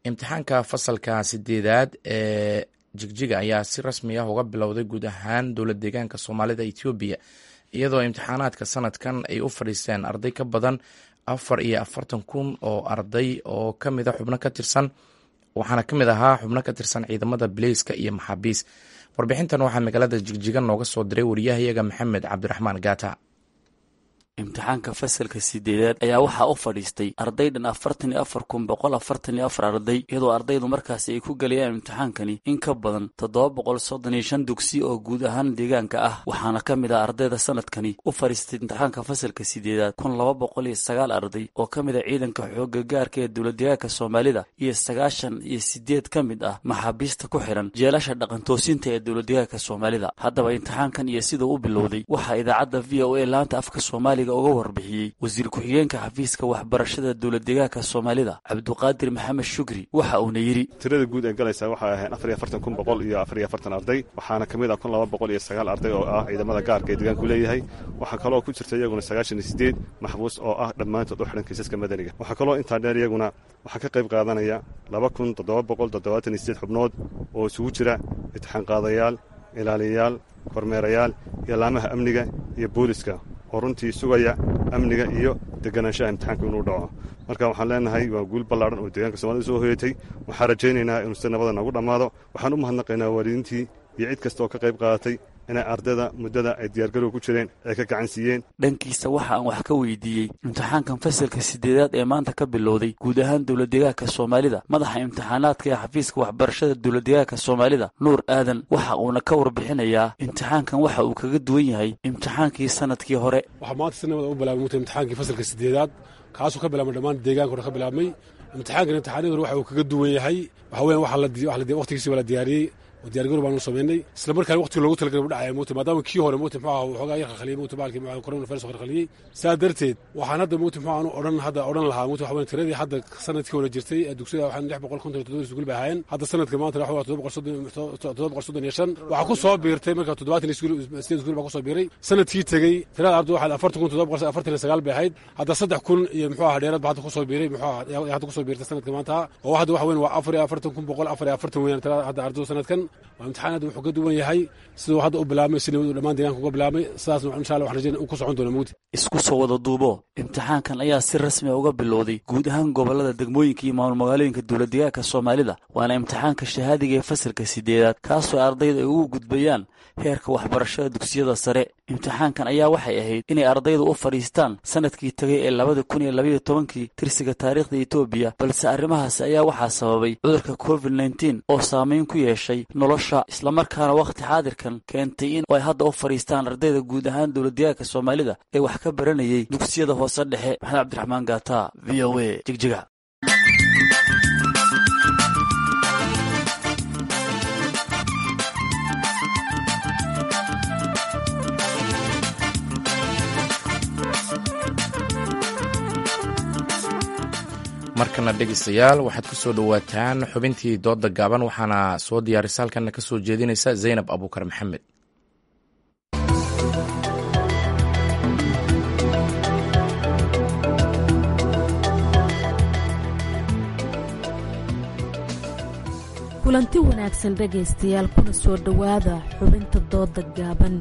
Imtixaanka fasalka sideedaad ee Jigjiga ayaa si rasmi ah uga bilowday guud ahaan dowlad deegaanka Soomaalida Etoobiya iyadoo imtixaanaadka sanadkan ay u fadhiisteen arday ka badan afar iyo afartan kun oo arday oo ka mida xubno ka tirsan, waxaana ka mid ahaa xubno ka tirsan ciidamada bileyska iyo maxaabiis. Warbixintan waxaa magaalada Jigjiga nooga soo diray wariyahayaga Maxamed Cabdiraxmaan Gaata. Imtixaanka fasalka sideedaad ayaa waxaa u fadhiistay arday dhan afartan iyo afar kun boqol afartan iyo afar arday, iyadoo ardaydu markaasi ay ku gelayaan imtixaankani in ka badan toddoba boqol soddon iyo shan dugsi oo guud ahaan deegaanka ah. Waxaana ka mid ah ardayda sanadkani u fadhiistay imtixaanka fasalka sideedaad kun laba boqol iyo sagaal arday oo ka mid ah ciidanka xoogga gaarka ee dowladdeegaanka Soomaalida iyo sagaashan iyo sideed ka mid ah maxaabiista ku xiran jeelasha dhaqantoosinta ee dowladdeegaanka Soomaalida. Haddaba imtixaankan iyo siduu u bilowday waxaa idaacadda V O A laanta afka Soomaaliga uga warbixiyey wasiir ku-xigeenka xafiiska waxbarashada dowladdeegaanka Soomaalida Cabduqaadir Maxamed Shukri. Waxa uuna yidhi: Tirada guud ee galaysa waxay ahayn afar iyo afartan kun boqol iyo afar iyo afartan arday, waxaana ka mid ah kun laba boqol iyo sagaal arday oo ah ciidamada gaarka ee deegaanku leeyahay. Waxaa kaloo ku jirta iyaguna sagaashan iyo sideed maxbuus oo ah dhammaantood u xidhan kiisaska madaniga. Waxaa kaloo intaa dheer iyaguna waxaa ka qayb qaadanaya laba kun toddoba boqol toddobaatan iyo sideed xubnood oo isugu jira imtixaan qaadayaal, ilaaliyayaal, kormeerayaal iyo laamaha amniga iyo booliska oo runtii sugaya amniga iyo deganaanshaha imtixaanka inuu dhaco. Marka waxaan leenahay waa guul ballaadhan oo deegaanka Soomaalida soo hoyatay. Waxaan rajaynaynaa inuu si nabada noogu dhammaado. Waxaan u mahadnaqaynaa waalidiintii iyo cid kasta oo ka qayb qaadatay inay ardayda muddada ay diyaargarowga ku jireen ay ka gacan siiyeen. Dhankiisa waxa aan wax ka weydiiyey imtixaankan fasalka sideedaad ee maanta ka bilowday guud ahaan dowladdeegaanka Soomaalida madaxa imtixaanaadka ee xafiiska waxbarashada dowladdeegaanka Soomaalida Nuur Aadan. Waxa uuna ka warbixinayaa imtixaankan waxa uu kaga duwan yahay imtixaankii sanadkii hore. Waxaa maanta si nabada u bilaabmay imtixaankii fasalka sideedaad, kaasoo ka bilaabmay dhammaan deegaanka hore ka bilaabmay. Imtixaankan imtixaanadii hore waxa uu kaga duwan yahay waxa weeyaan waxa la waqtigiisii waa la diyaariyey oo diyaargarow baanu samaynay, isla markaana waqtiga loogu talagalay u dhacaya mowta, maadaama kii hore mowta muxuu ahaa waxoogaa yar khalkhaliyey mowta baalkii muxuu coronavirus khalkhaliyey. Saa darteed waxaan hadda mowta muxuu aanu odhan hadda odhan lahaa mowta waxa weyn tiradii hadda sanadkii hore jirtay ee dugsiyada waxaan lix boqol konton iyo toddoba iskuul bay ahaayeen. Hadda sanadka maanta waxa waa toddoba boqol soddon toddoba boqol soddon iyo shan. Waxaa ku soo biirtay marka toddobaatan iskuul sideed iskuul baa ku soo biiray. Sanadkii tegey tirada ardaydu waxaa afartan kun toddoba boqol afartan iyo sagaal bay ahayd. Hadda saddex kun iyo muxuu ahaa dheeraad baa hadda ku soo biiray muxuu ahaa hadda ku soo biirtay sanadka maanta oo hadda waxa weyn waa afar iyo afartan kun boqol afar iyo afartan weeyaan tirada hadda ardaydu sanadkan. Waa imtixaan hadda wuxuu ka duwan yahay siduu hadda u bilaabmay, si nabad uu dhammaan deegaanka uga bilaabmay. Sidaasna insha Allah waxaan rajeynaa uu ku socon doono mugdi. Isku soo wada duubo, imtixaankan ayaa si rasmi ah uga bilowday guud ahaan gobollada, degmooyinka iyo maamul magaalooyinka dowladdeegaanka Soomaalida, waana imtixaanka shahaadiga ee fasalka sideedaad kaasoo ardayda ay ugu gudbayaan heerka waxbarashada dugsiyada sare. Imtixaankan ayaa waxay ahayd inay ardaydu u fadhiistaan sanadkii tagay ee labada kun iyo labaiyo tobankii tirsiga taariikhda Etoobiya, balse arrimahaasi ayaa waxaa sababay cudurka covid nineteen oo saameyn ku yeeshay nolosha, islamarkaana wakhti xaadirkan keentay in ay hadda u fadhiistaan ardayda guud ahaan dowladdeegaanka Soomaalida ee wax ka baranayay dugsiyada hoose dhexe. Maxamed Cabdiraxmaan Gaata, V O A, Jigjiga. Markana dhegeystayaal, waxaad ku soo dhowaataan xubintii dooda gaaban, waxaana soo diyaarisa halkanna ka soo jeedinaysa Zaynab Abuukar Maxamed. Kulanti wanaagsan dhegaystayaal, kuna soo dhowaada xubinta dooda gaaban.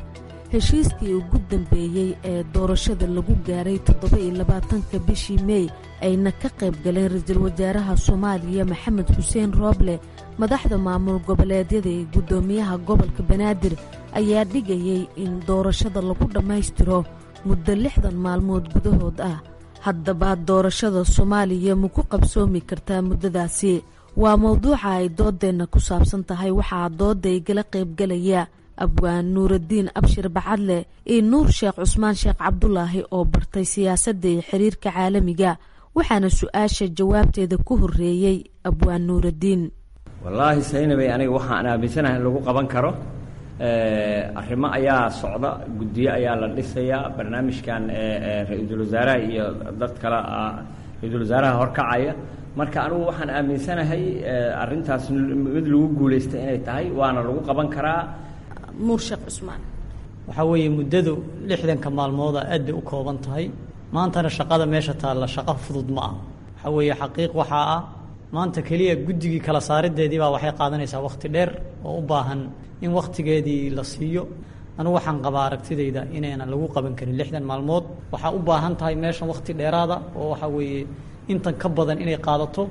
Heshiiskii ugu dambeeyey ee doorashada lagu gaaray toddoba iyo labaatanka bishii Mey ayna ka qayb galeen ra-iisul wasaaraha Soomaaliya Maxamed Xuseen Rooble, madaxda maamul goboleedyada iyo guddoomiyaha gobolka Banaadir ayaa dhigayay in doorashada lagu dhammaystiro muddo lixdan maalmood gudahood ah. Haddaba doorashada Soomaaliya ma ku qabsoomi kartaa muddadaasi? Waa mowduuca ay doodeenna ku saabsan tahay. Waxaa dooda igala qaybgalaya Abwaan Nuuradiin Abshir Bacadle iyo Nuur Sheekh Cusmaan Sheekh Cabdulaahi oo bartay siyaasadda iyo xiriirka caalamiga. Waxaana su-aasha jawaabteeda ku horeeyey Abwaan Nuuradiin. Wallaahi saynabay, aniga waxaan aaminsanahay in lagu qaban karo. Arrimo ayaa socda, guddiyo ayaa la dhisayaa, barnaamijkan ra-iisul wasaaraha iyo dad kale ra-iisul wasaaraha horkacaya. Marka anigu waxaan aaminsanahay arrintaas mid lagu guulaystay inay tahay, waana lagu qaban karaa. Nuur Sheekh Cusmaan: Waxaa weeye muddadu lixdanka maalmooda aad bay u kooban tahay. Maantana shaqada meesha taalla shaqo fudud ma ah. Waxaa weeye xaqiiq waxaa ah maanta keliya guddigii kala saarideedii baa waxay qaadanaysaa wakhti dheer oo u baahan in wakhtigeedii la siiyo. Anugu waxaan qabaa aragtidayda inaynan lagu qaban karin lixdan maalmood. Waxaa u baahan tahay meeshan wakhti dheeraada oo waxaa weeye intan ka badan inay qaadato,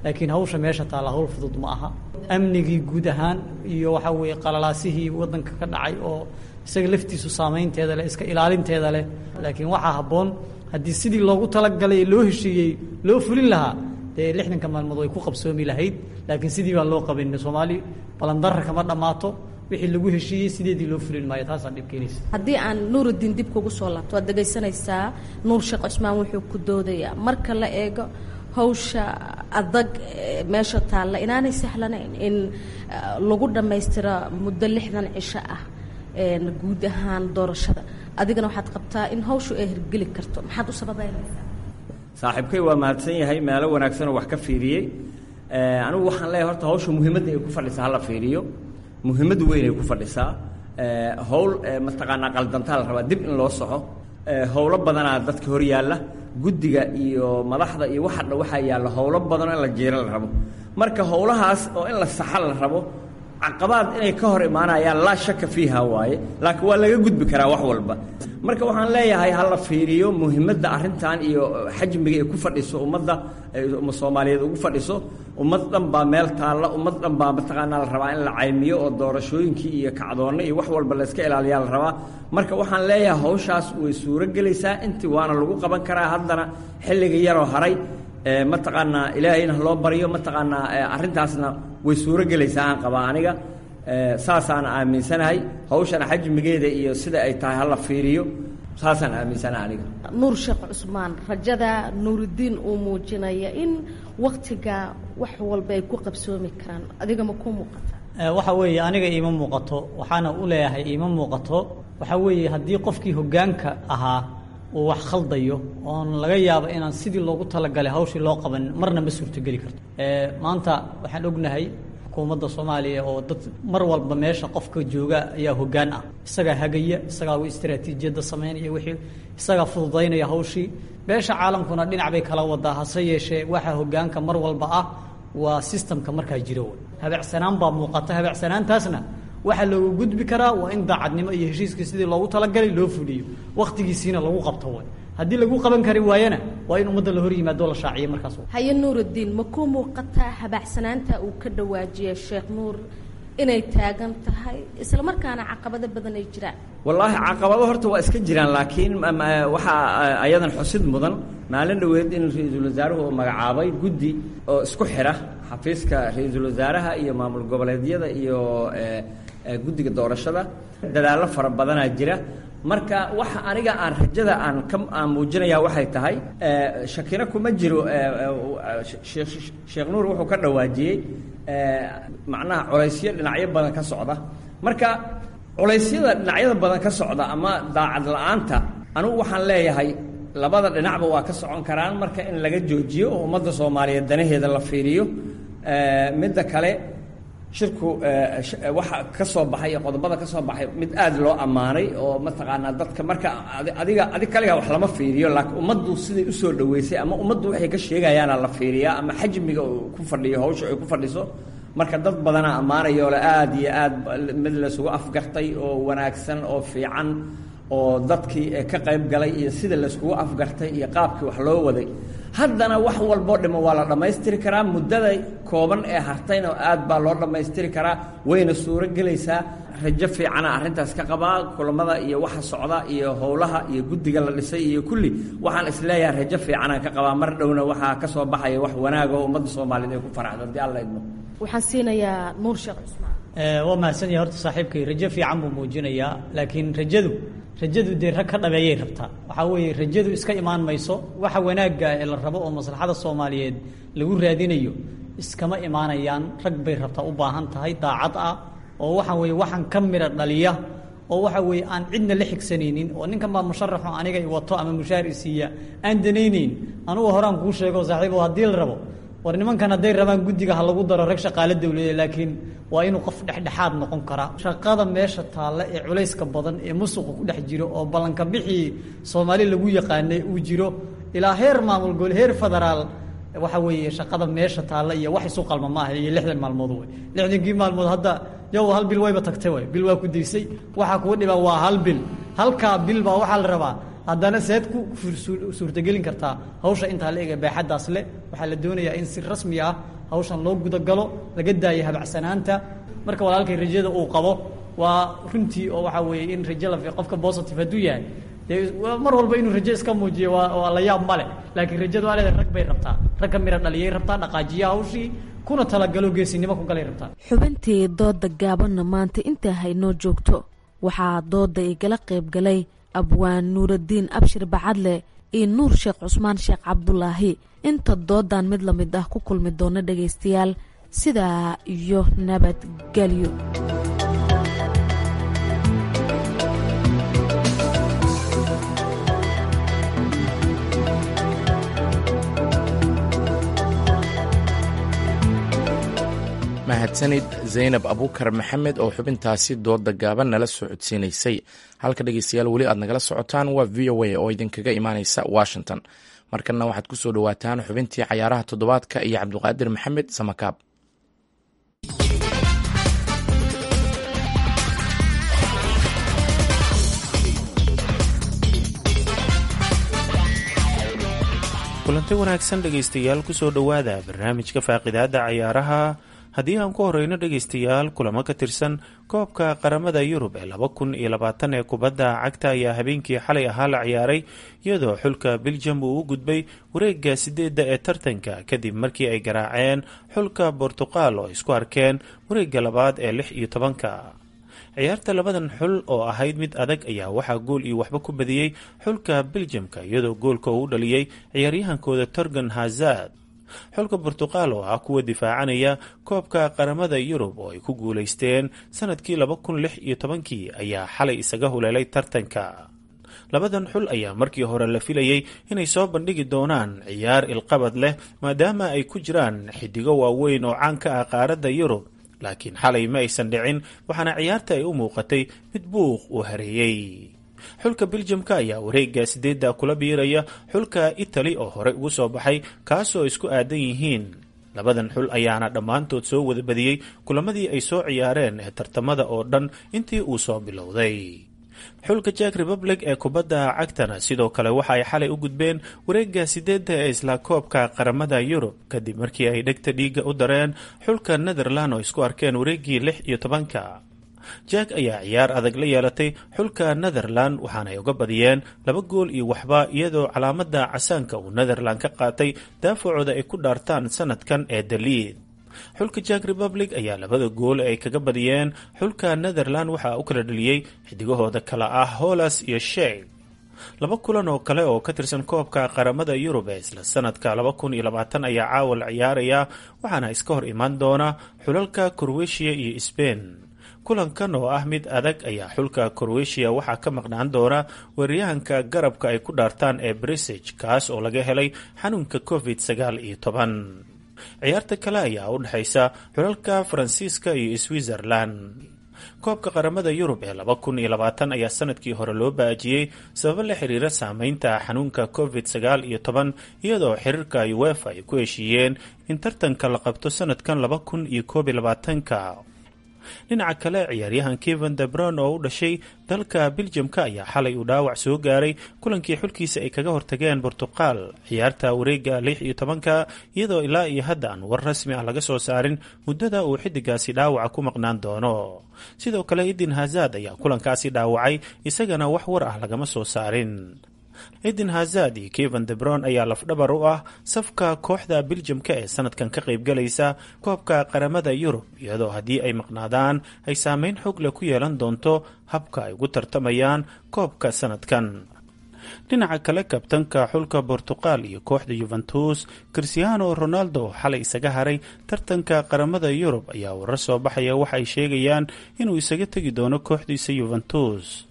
laakiin hawsha meesha taalla hawl fudud ma aha. Amnigii guud ahaan iyo waxaa weeye qalalaasihii waddanka ka dhacay oo isaga laftiisu saameynteeda leh, iska ilaalinteeda leh. Laakiin waxaa habboon haddii sidii loogu talagalay ee loo heshiiyey loo fulin lahaa, dee lixdanka maalmood way ku qabsoomi lahayd, laakiin sidii baan loo qaban. Soomaali balandarra kama dhammaato, wixii lagu heshiiyey sideedii loo fulin maayo, taasaa dhib keenaysa. Haddii aan Nuurudiin dib kugu soo laabto, waad dhegaysanaysaa Nuur Sheekh Cusmaan wuxuu ku doodayaa marka la eego hawsha adag meesha taalla inaanay sahlanayn in lagu dhammaystiro muddo lixdan cisho ah guud ahaan doorashada. Adigana waxaad qabtaa in hawshu ay hirgeli karto, maxaad u sababeynaysaa? Saaxiibkay waa mahadsan yahay, meelo wanaagsanoo wax ka fiiriyey. Anigu waxaan leeyahay horta hawsha muhiimadda ay ku fadhisaa hala fiiriyo, muhiimad weyn ay ku fadhisaa. Hawl mataqaanaa qaldantaa la rabaa dib in loo soxo. Howlo badanaa dadka hor yaalla, guddiga iyo madaxda iyo waxa dhan waxaa yaalla howlo badanoo in la jiiro la rabo. Marka howlahaas oo in la saxa la rabo, caqabaad inay ka hor imaanayaan laa shaka fiiha waaye, laakiin waa laga gudbi karaa wax walba. Marka waxaan leeyahay ha la fiiriyo muhiimadda arrintan iyo xajmiga ay ku fadhiso ummadda, umma Soomaaliyeed ugu fadhiso. Ummad dhan baa meel taalla, ummad dhan baa mataqaanaa la rabaa in la caymiyo oo doorashooyinkii iyo kacdoonno iyo wax walba la iska ilaaliyaa la rabaa. Marka waxaan leeyahay hawshaas way suuro gelaysaa, intii waana lagu qaban karaa. Haddana xilliga yaroo haray mataqaanaa ilaahayna ha loo baryo, mataqaanaa arrintaasna way suuro gelaysaa aan qabaa aniga, saasaan aaminsanahay. Hawshana xajmigeeda iyo sida ay tahay hala fiiriyo, saasaan aaminsanahay aniga. Nuur Sheekh Cusmaan, rajada Nuurudiin uu muujinaya in waktiga wax walba ay ku qabsoomi karaan, adiga ma kuu muuqata? Waxa weeye aniga iima muuqato, waxaana u leeyahay iima muuqato. Waxaa weeye haddii qofkii hoggaanka ahaa uu wax khaldayo oon laga yaabo inaan sidii loogu talagalay hawshii loo qaban, marna ma suurtogeli karto. Maanta waxaan ognahay xukuumadda Soomaaliya oo dad mar walba meesha qofka jooga ayaa hoggaan ah, isagaa hagaya, isagaa istaraatiijiyadda samaynaya, wixii isagaa fududaynaya hawshii. Beesha caalamkuna dhinac bay kala wadaa, hase yeeshee waxa hoggaanka mar walba ah waa sistamka markaa jira. Wey habacsanaan baa muuqata, habacsanaantaasna waxaa loogu gudbi karaa waa in daacadnimo iyo heshiiskii sidii loogu talagalay loo fuliyo, wakhtigiisiina lagu qabto. Way haddii lagu qaban kari waayana waa in ummadda la hor yimaado, la shaaciyo markaas. Haye Nuurudiin, ma ku muuqataa habacsanaanta uu ka dhawaajiyay Sheekh Nuur inay taagan tahay isla markaana caqabado badan ay jiraan? Wallaahi caqabado horta waa iska jiraan, laakiin waxaa ayadan xusid mudan maalin dhoweed in ra-iisul wasaaruhu uu magacaabay guddi oo isku xira xafiiska ra-iisul wasaaraha iyo maamul goboleedyada iyo guddiga doorashada. Dadaallo fara badanaa jira. Marka waxa aniga aan rajada aan ka aan muujinayaa waxay tahay, shakina kuma jiro, Sheekh Nuur wuxuu ka dhawaajiyey macnaha culaysyo dhinacyo badan ka socda. Marka culaysyada dhinacyada badan ka socda ama daacad la-aanta, anigu waxaan leeyahay labada dhinacba waa ka socon karaan. Marka in laga joojiyo oo ummadda Soomaaliyeed danaheeda la fiiriyo. Midda kale, shirku waxa ka soo baxay iyo qodobada ka soo baxay mid aad loo ammaanay oo mataqaanaa dadka marka adiga adig kaligaa wax lama fiiriyo, laakiin ummaddu siday usoo dhaweysay ama ummaddu waxay ka sheegayaana la fiiriyaa ama xajmiga uu ku fadhiyo hawsha ay ku fadhiso. Marka dad badanaa ammaanayoo le aad iyo aad mid laysugu afgartay oo wanaagsan oo fiican oo dadkii ka qayb galay iyo sida layskugu afgartay iyo qaabkii wax loo waday. Haddana wax walboo dhimo waa la dhammaystiri karaa, muddada kooban ee hartayna aad baa loo dhammaystiri karaa, wayna suuro gelaysaa. Rajo fiicana arrintaas ka qabaa. Kulamada iyo waxa socda iyo howlaha iyo guddiga la dhisay iyo kulli waxaan isleeyahay rajo fiicanaan ka qabaa. Mar dhowna waxaa ka soo baxaya wax wanaag oo ummadda Soomaaliyeed ay ku faraxdo haddii Alla idmo. Waxaan siinayaa Nuur Sheekh Cusmaan. Waa mahadsan yahay horta saaxiibkay, rajo fiican buu muujinayaa, laakiin rajadu rajadu dee rag ka dhabeeyay rabtaa. Waxaa weeye rajadu iska imaan mayso. Waxa wanaagga ee la rabo oo maslaxada Soomaaliyeed lagu raadinayo iskama imaanayaan, rag bay rabtaa, u baahan tahay daacad ah oo waxa weeye waxaan ka mira dhaliya oo waxa weeye aan cidna la xigsanaynin oo ninkan baa musharaxo aniga i wato ama mushaar i siiya aan danaynayn. Anugu horaan kuu sheego saaxiibo, haddii la rabo war nimankan hadday rabaan guddiga ha lagu daro rag shaqaale dawladeed, laakiin waa inuu qof dhexdhexaad noqon karaa. Shaqada meesha taalla ee culayska badan ee musuqa ku dhex jiro oo ballanka bixii Soomaali lagu yaqaanay uu jiro ilaa heer maamul gobol, heer federaal, waxa weeye shaqada meesha taalla iyo wax isu qalma maaha iyo lixdan maalmood wey. Lixdankii maalmood hadda Yow, hal bil wayba tagtay, way bil waa ku daysay. Waxaa kugu dhibaa waa hal bil. Halkaa bil baa waxaa la rabaa haddana seed ku suurtagelin kartaa hawsha intaa la ega baaxaddaas leh. Waxaa la doonayaa in si rasmi ah hawshan loo gudagalo, laga daayo habacsanaanta. Marka walaalkay rajada uu qabo waa runtii, oo waxaa weeye in rajo la qofka positive hadduu yahay, dee mar walba inuu rajo iska muujiyo waa waa la yaab male, laakiin rajadu waa leedahay. Rag bay rabtaa, rag ka mira dhaliyay rabtaa, dhaqaajiya hawshii kuna talagalo, geesinimo ku galay rabtaa. Xubintii dooda gaabanna maanta intaa haynoo joogto. Waxaa dooda igala qayb galay Abwaan Nuuraddiin Abshir Bacadle iyo Nuur Sheekh Cusmaan Sheekh Cabdulaahi. Inta doodan mid la mid ah ku kulmi doona dhegaystayaal, sidaa iyo nabadgelyo. Mahadsanid Zaynab Abuukar Maxamed oo xubintaasi dooda gaaban nala socodsiinaysay. Halka dhegeystayaal weli aad nagala socotaan waa V O A oo idinkaga imaaneysa Washington. Markanna waxaad ku soo dhowaataan xubintii cayaaraha toddobaadka iyo Cabdiqaadir Maxamed Samakaab. Kulanti wanaagsan dhegaystayaal, kusoo dhowaada barnaamijka faaqidaada cayaaraha. Haddii aan ku horeyno dhegaystayaal, kulamo ka tirsan koobka qaramada Yurub ee laba kun iyo labaatan ee kubadda cagta ayaa habeenkii xalay ahaa la ciyaaray, iyadoo xulka Biljam uu u gudbay wareega sideedda ee tartanka kadib markii ay garaaceen xulka Bortuqal oo isku arkeen wareega labaad ee lix iyo tobanka. Ciyaarta labadan xul oo ahayd mid adag ayaa waxaa gool iyo waxba ku badiyey xulka Biljamka, iyadoo goolka uu u dhaliyey ciyaaryahankooda Torgan Hazard. Xulka Bortuqal oo ah kuwa difaacanaya koobka qaramada Yurub oo ay ku guulaysteen sanadkii laba kun lix iyo tobankii ayaa xalay isaga huleelay tartanka. Labadan xul ayaa markii hore la filayey inay soo bandhigi doonaan ciyaar ilqabad leh, maadaama ay ku jiraan xidigo waaweyn oo caan ka ah qaaradda Yurub, laakiin xalay ma aysan dhicin, waxaana ciyaarta ay u muuqatay mid buuq uu hareeyey. Xulka Biljamka ayaa wareega sideedda kula biiraya xulka Itali oo horey ugu soo baxay, kaasoo isku aadan yihiin. Labadan xul ayaana dhammaantood soo wada badiyey kulamadii ay soo ciyaareen ee tartamada oo dhan intii uu soo bilowday. Xulka Jack Republic ee kubadda cagtana sidoo kale waxa ay xalay u gudbeen wareega sideedda ee isla koobka qaramada Yurub kadib markii ay dhegta dhiigga u dareen xulka Netherland oo isku arkeen wareegii lix iyo tobanka. Jack ayaa ciyaar adag la yeelatay xulka Netherland, waxaanay uga badiyeen laba gool iyo waxba, iyadoo calaamada casaanka uu Netherland ka qaatay daafacooda ay ku dhaartaan sanadkan ee Daliid. Xulka Jack Republic ayaa labada gool ee ay kaga badiyeen xulka Netherland waxaa u kala dhaliyey xidigahooda kala ah Holas iyo Sheeg. Laba kulan oo kale oo ka tirsan koobka qaramada Yurub ee isla sanadka laba kun iyo labaatan ayaa caawa la ciyaaraya, waxaana iska hor imaan doona xulalka Croatia iyo Spain. Kulankan oo ah mid adag ayaa xulka Croatia waxaa ka maqnaan doona weeraryahanka garabka ay ku dhaartaan ee Brisig, kaas oo laga helay xanuunka covid sagaal iyo toban. Ciyaarta kale ayaa u dhexaysa xulalka Faransiiska iyo Switzerland. Koobka qaramada Yurub ee laba kun iyo labaatan ayaa sanadkii hore loo baajiyey sababo la xiriira saameynta xanuunka covid sagaal iyo toban, iyadoo xiriirka UEFA ay ku heshiiyeen in tartanka la qabto sanadkan laba kun iyo koob iyo labaatanka. Dhinaca kale, ciyaaryahan Kevin Debron oo u dhashay dalka Biljamka ayaa xalay uu dhaawac soo gaaray kulankii xulkiisa ay kaga hortageen Bortuqal ciyaarta wareega lix iyo tobanka, iyadoo ilaa iyo hadda aan war rasmi ah laga soo saarin muddada uu xidigaasi dhaawaca ku maqnaan doono. Sidoo kale Eden Hazard ayaa kulankaasi dhaawacay, isagana wax war ah lagama soo saarin. Eden Hazard iyo Kevin Debron ayaa lafdhabar u ah safka kooxda Biljamka ee sanadkan ka qaybgalaysa koobka qaramada Yurub, iyadoo haddii ay maqnaadaan ay saameyn xoog leh ku yeelan doonto habka ay ugu tartamayaan koobka sanadkan. Dhinaca kale, kabtanka xulka Bortuqal iyo kooxda Yuventus Cristiano Ronaldo oo xalay isaga haray tartanka qaramada Yurub ayaa warar soo baxaya waxa ay sheegayaan inuu isaga tegi doono kooxdiisa Yuventus.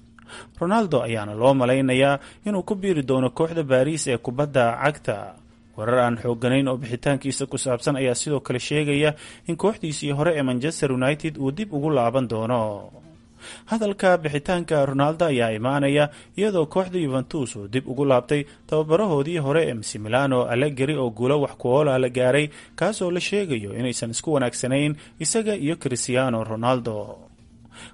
Ronaldo ayaana loo malaynayaa inuu ku biiri doono kooxda Baariis ee kubadda cagta. Warar aan xoogganayn oo bixitaankiisa ku saabsan ayaa sidoo kale sheegaya in kooxdiisii hore ee Manchester United uu dib ugu laaban doono. Hadalka bixitaanka Ronaldo ayaa imaanaya iyadoo kooxda Yuventus uu dib ugu laabtay tababarahoodii hore ee Massimiliano Allegri oo guulo wax ku ool ah la gaaray, kaasoo la sheegayo inaysan isku wanaagsanayn isaga iyo Cristiano Ronaldo.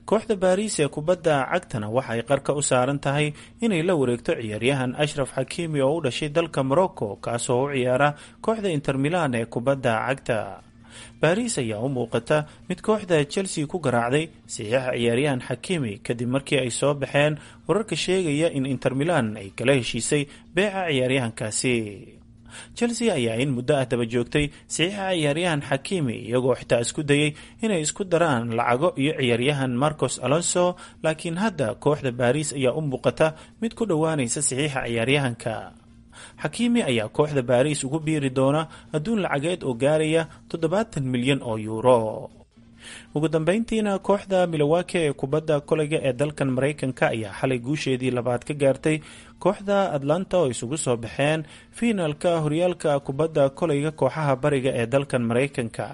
Kooxda Baariis ee kubadda cagtana waxay qarka u saaran tahay inay la wareegto ciyaaryahan Ashraf Xakiimi oo u dhashay dalka Morocco, kaasoo u ciyaara kooxda Inter Milan ee kubadda cagta. Baariis ayaa u muuqata mid kooxda Chelsea ku garaacday saxiixa ciyaaryahan Xakiimi kadib markii ay soo baxeen wararka sheegaya in Inter Milan ay kala heshiisay beeca ciyaaryahankaasi. Chelsea ayaa in muddo ah daba joogtay saxiixa ciyaaryahan Xakiimi, iyagoo xitaa isku dayay inay isku daraan lacago iyo ciyaaryahan Marcos Alonso, laakiin hadda kooxda Baariis ayaa u muuqata mid ku dhowaanaysa saxiixa ciyaaryahanka. Xakiimi ayaa kooxda Baariis ugu biiri doona adduun lacageed oo gaaraya toddobaatan milyan oo yuuro. Ugu dambeyntiina kooxda Milwaukee ee kubadda koleyga ee dalkan Maraykanka ayaa xalay guusheedii labaad ka gaartay kooxda Atlanta oo isugu soo baxeen fiinalka horyaalka kubadda koleyga kooxaha bariga ee dalkan Maraykanka.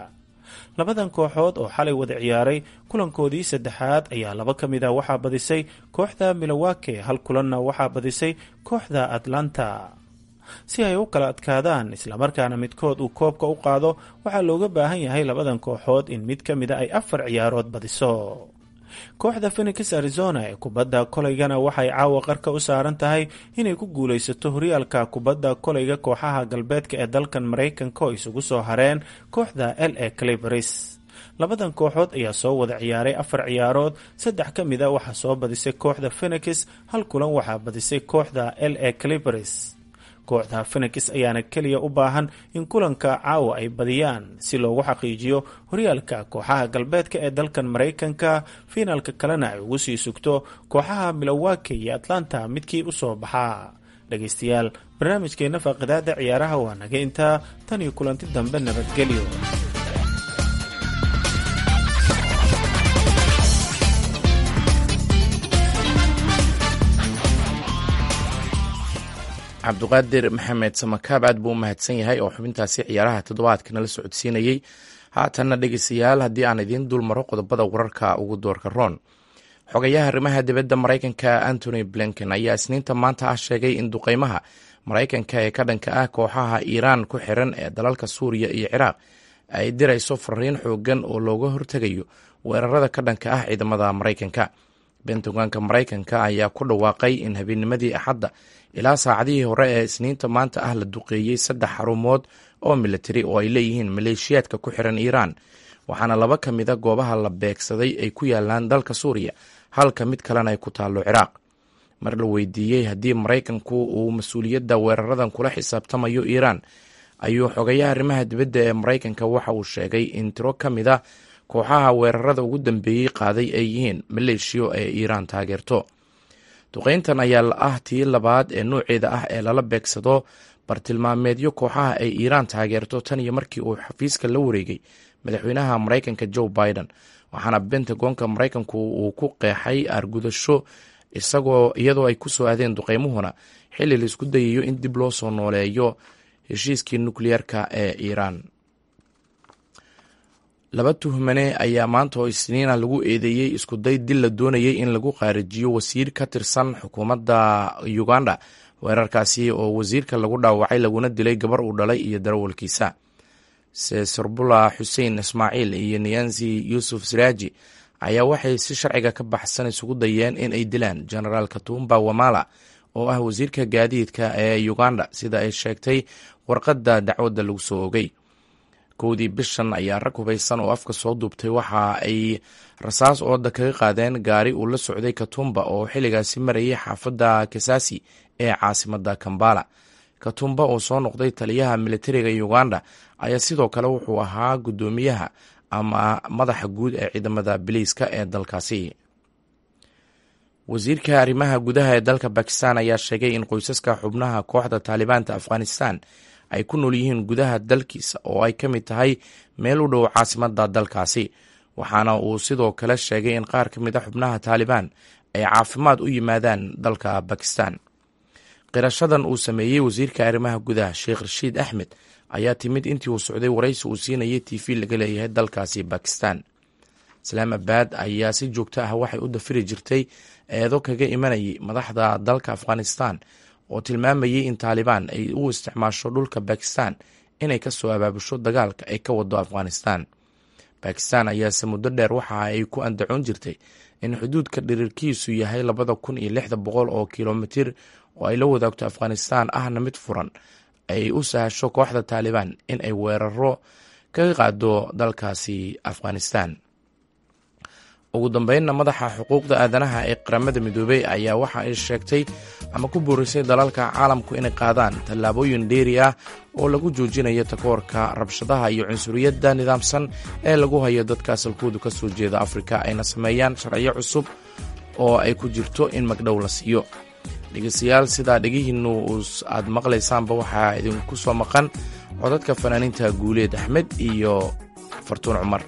Labadan kooxood oo xalay wada ciyaaray kulankoodii saddexaad ayaa laba ka mid ah waxaa badisay kooxda Milwaukee, hal kulanna waxaa badisay kooxda Atlanta. Si ay u kala adkaadaan islamarkaana midkood uu koobka u qaado, waxaa looga baahan yahay labadan kooxood in mid ka mida ay afar ciyaarood badiso. Kooxda Phoenix Arizona ee kubadda koleygana waxay caawa qarka u saaran tahay inay ku guulaysato horyaalka kubadda koleyga kooxaha galbeedka ee dalkan Maraykanka oo isugu soo hareen kooxda L A Clippers. Labadan kooxood ayaa soo wada ciyaaray afar ciyaarood, saddex ka mid a waxaa soo badisay kooxda Phoenix, hal kulan waxaa badisay kooxda L A Clippers. Kooxda Phoenix ayaana keliya u baahan in kulanka caawa ay badiyaan si loogu xaqiijiyo horyaalka kooxaha galbeedka ee dalkan Maraykanka, fiinalka kalena ay ugu sii sugto kooxaha Milwaukee iyo Atlanta midkii u soo baxaa. Dhegaystayaal, barnaamijkeenna faaqidaada ciyaaraha waa naga intaa. Tan iyo kulanti dambe, nabadgelyo. Cabduqaadir Maxamed Samakaab aad buu u mahadsan yahay oo xubintaasi ciyaaraha toddobaadka nala socodsiinayey. Haatanna dhegeystayaal, haddii aan idiin dul maro qodobada wararka ugu doorka roon. Xogayaha arrimaha dibadda Maraykanka Antony Blinken ayaa Isniinta maanta ah sheegay in duqeymaha Maraykanka ee ka dhanka ah kooxaha Iiraan ku xiran ee dalalka Suuriya iyo Ciraaq ay dirayso fariin xoogan oo looga hortegayo weerarada ka dhanka ah ciidamada Maraykanka. Bentagonka Maraykanka ayaa ku dhawaaqay in habeennimadii Axadda ilaa saacadihii hore ee Isniinta maanta ah la duqeeyey saddex xarumood oo militari oo ay leeyihiin maleeshiyaadka ku xiran Iiraan, waxaana laba ka mida goobaha la beegsaday ay ku yaalaan dalka Suuriya, halka mid kalena ay ku taallo Ciraaq. Mar la weydiiyey haddii Maraykanku uu mas-uuliyadda weeraradan kula xisaabtamayo Iiraan, ayuu xogayaha arrimaha dibadda ee Maraykanka waxa uu sheegay in tiro ka mid a kooxaha weerarada ugu dambeeyey qaaday ay yihiin maleeshiyo ee Iiraan taageerto. Duqeyntan ayaa la ah tii labaad ee nooceeda ah ee lala beegsado bartilmaameedyo kooxaha ay Iiraan taageerto tan iyo markii uu xafiiska la wareegay madaxweynaha Maraykanka Joe Biden, waxaana Bentagonka Maraykanku uu ku qeexay aargudasho isagoo iyadoo ay ku soo aadeen duqeymuhuna xilli la isku dayayo in dib loo soo nooleeyo heshiiskii nukliyeerka ee Iiraan. Laba tuhmane ayaa maanta oo Isniina lagu eedeeyey iskuday dil la doonayay in lagu qaarijiyo wasiir ka tirsan xukuumadda Uganda, weerarkaasi oo wasiirka lagu dhaawacay laguna dilay gabar uu dhalay iyo darawalkiisa. Sesorbula Xuseen Ismaaciil iyo Niyansi Yuusuf Siraaji ayaa waxay si sharciga ka baxsan isugu dayeen in ay dilaan Genaraal Katumba Wamala oo ah wasiirka gaadiidka ee Uganda, sida ay sheegtay warqadda dacwadda lagu soo ogay. Kowdii bishan ayaa rag hubaysan oo afka soo duubtay waxa ay rasaas ooda kaga qaadeen gaari uu la socday Katumba oo xilligaasi marayay xaafadda Kisasi ee caasimadda Kambala. Katumba oo soo noqday taliyaha militariga Uganda ayaa sidoo kale wuxuu ahaa guddoomiyaha ama madaxa guud ee ciidamada biliiska ee dalkaasi. Wasiirka arrimaha gudaha ee dalka Bakistan ayaa sheegay in qoysaska xubnaha kooxda Taalibaanta Afghanistan ay ku nool yihiin gudaha dalkiisa oo ay ka mid tahay meel u dhow caasimadda dalkaasi, waxaana uu sidoo kale sheegay in qaar ka mid a xubnaha Taalibaan ay caafimaad u yimaadaan dalka Bakistan. Qirashadan uu sameeyey wasiirka arrimaha gudaha Sheekh Rashiid Axmed ayaa timid intii uu socday waraysi uu siinayay T V laga leeyahay dalkaasi Bakistan. Islaamabad ayaa si joogto ah waxay u dafiri jirtay eedo kaga imanayay madaxda dalka Afghanistan oo tilmaamayay in Taalibaan ay u isticmaasho dhulka Bakistan inay ka soo abaabusho dagaalka ay ka wado Afghanistan. Bakistan ayaase muddo dheer waxa ay ku andacoon jirtay in xuduudka dhirirkiisu yahay labada kun iyo lixda boqol oo kilomitir oo ay la wadaagto Afghanistan ahna mid furan ay u sahasho kooxda Taalibaan in ay weeraro kaga qaado dalkaasi Afghanistan. Ugu dambeynna, madaxa xuquuqda aadanaha ee Qaramada Midoobey ayaa waxa ay sheegtay ama ku boorisay dalalka caalamku inay qaadaan tallaabooyin dheeri ah oo lagu joojinayo takoorka, rabshadaha iyo cunsuriyadda nidaamsan ee lagu hayo dadka asalkoodu ka soo jeeda Afrika, ayna sameeyaan sharciyo cusub oo ay ku jirto in magdhow la siiyo. Dhegeystayaal, sidaa dhegihiinnu aad maqlaysaanba, waxaa idinku soo maqan codadka fanaaniinta Guuleed Axmed iyo Fartuun Cumar.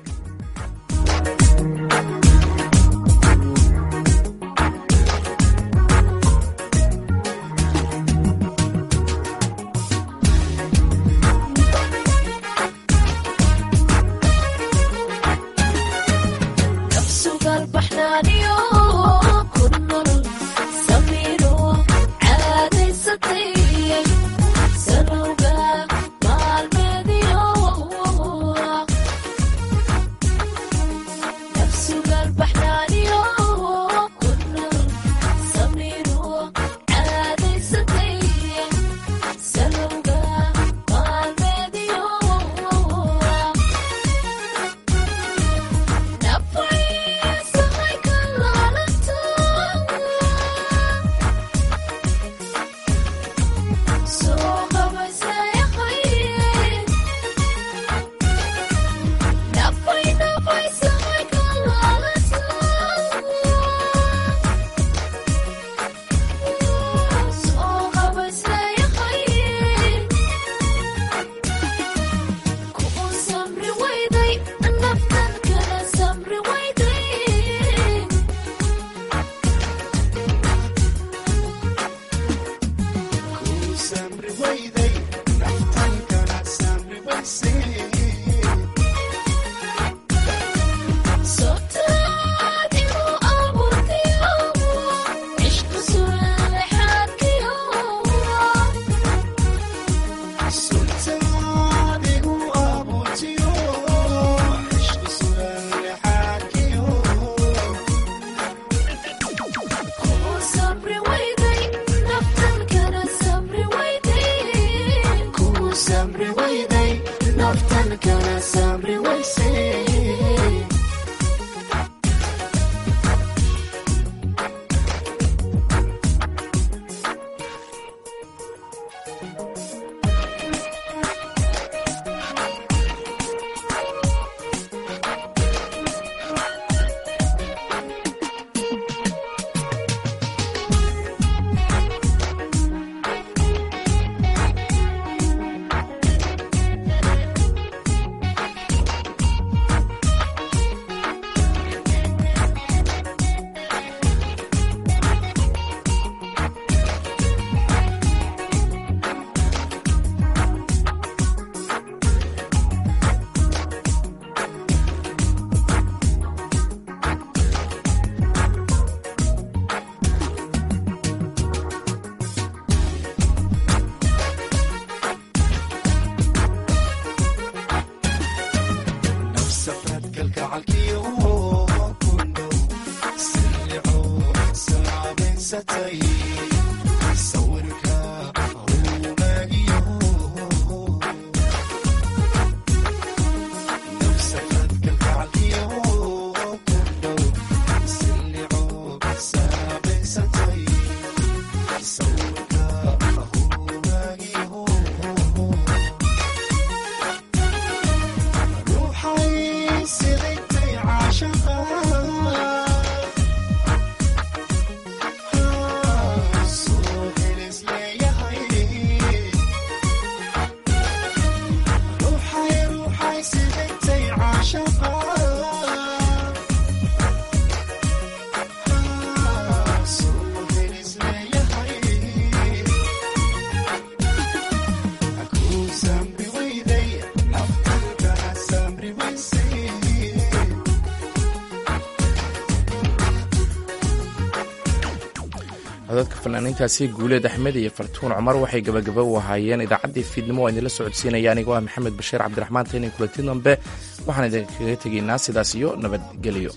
Codadka fanaaniintaasi Guuleed Axmed iyo Fartuun Cumar waxay gabagaba u ahaayeen idaacaddii fiidnimo oo idinla socodsiinaya anigoo ah Maxamed Bashiir Cabdiraxmaan. Taynin kulanti dambe waxaan idinkaga tegaynaa sidaas iyo nabadgelyo.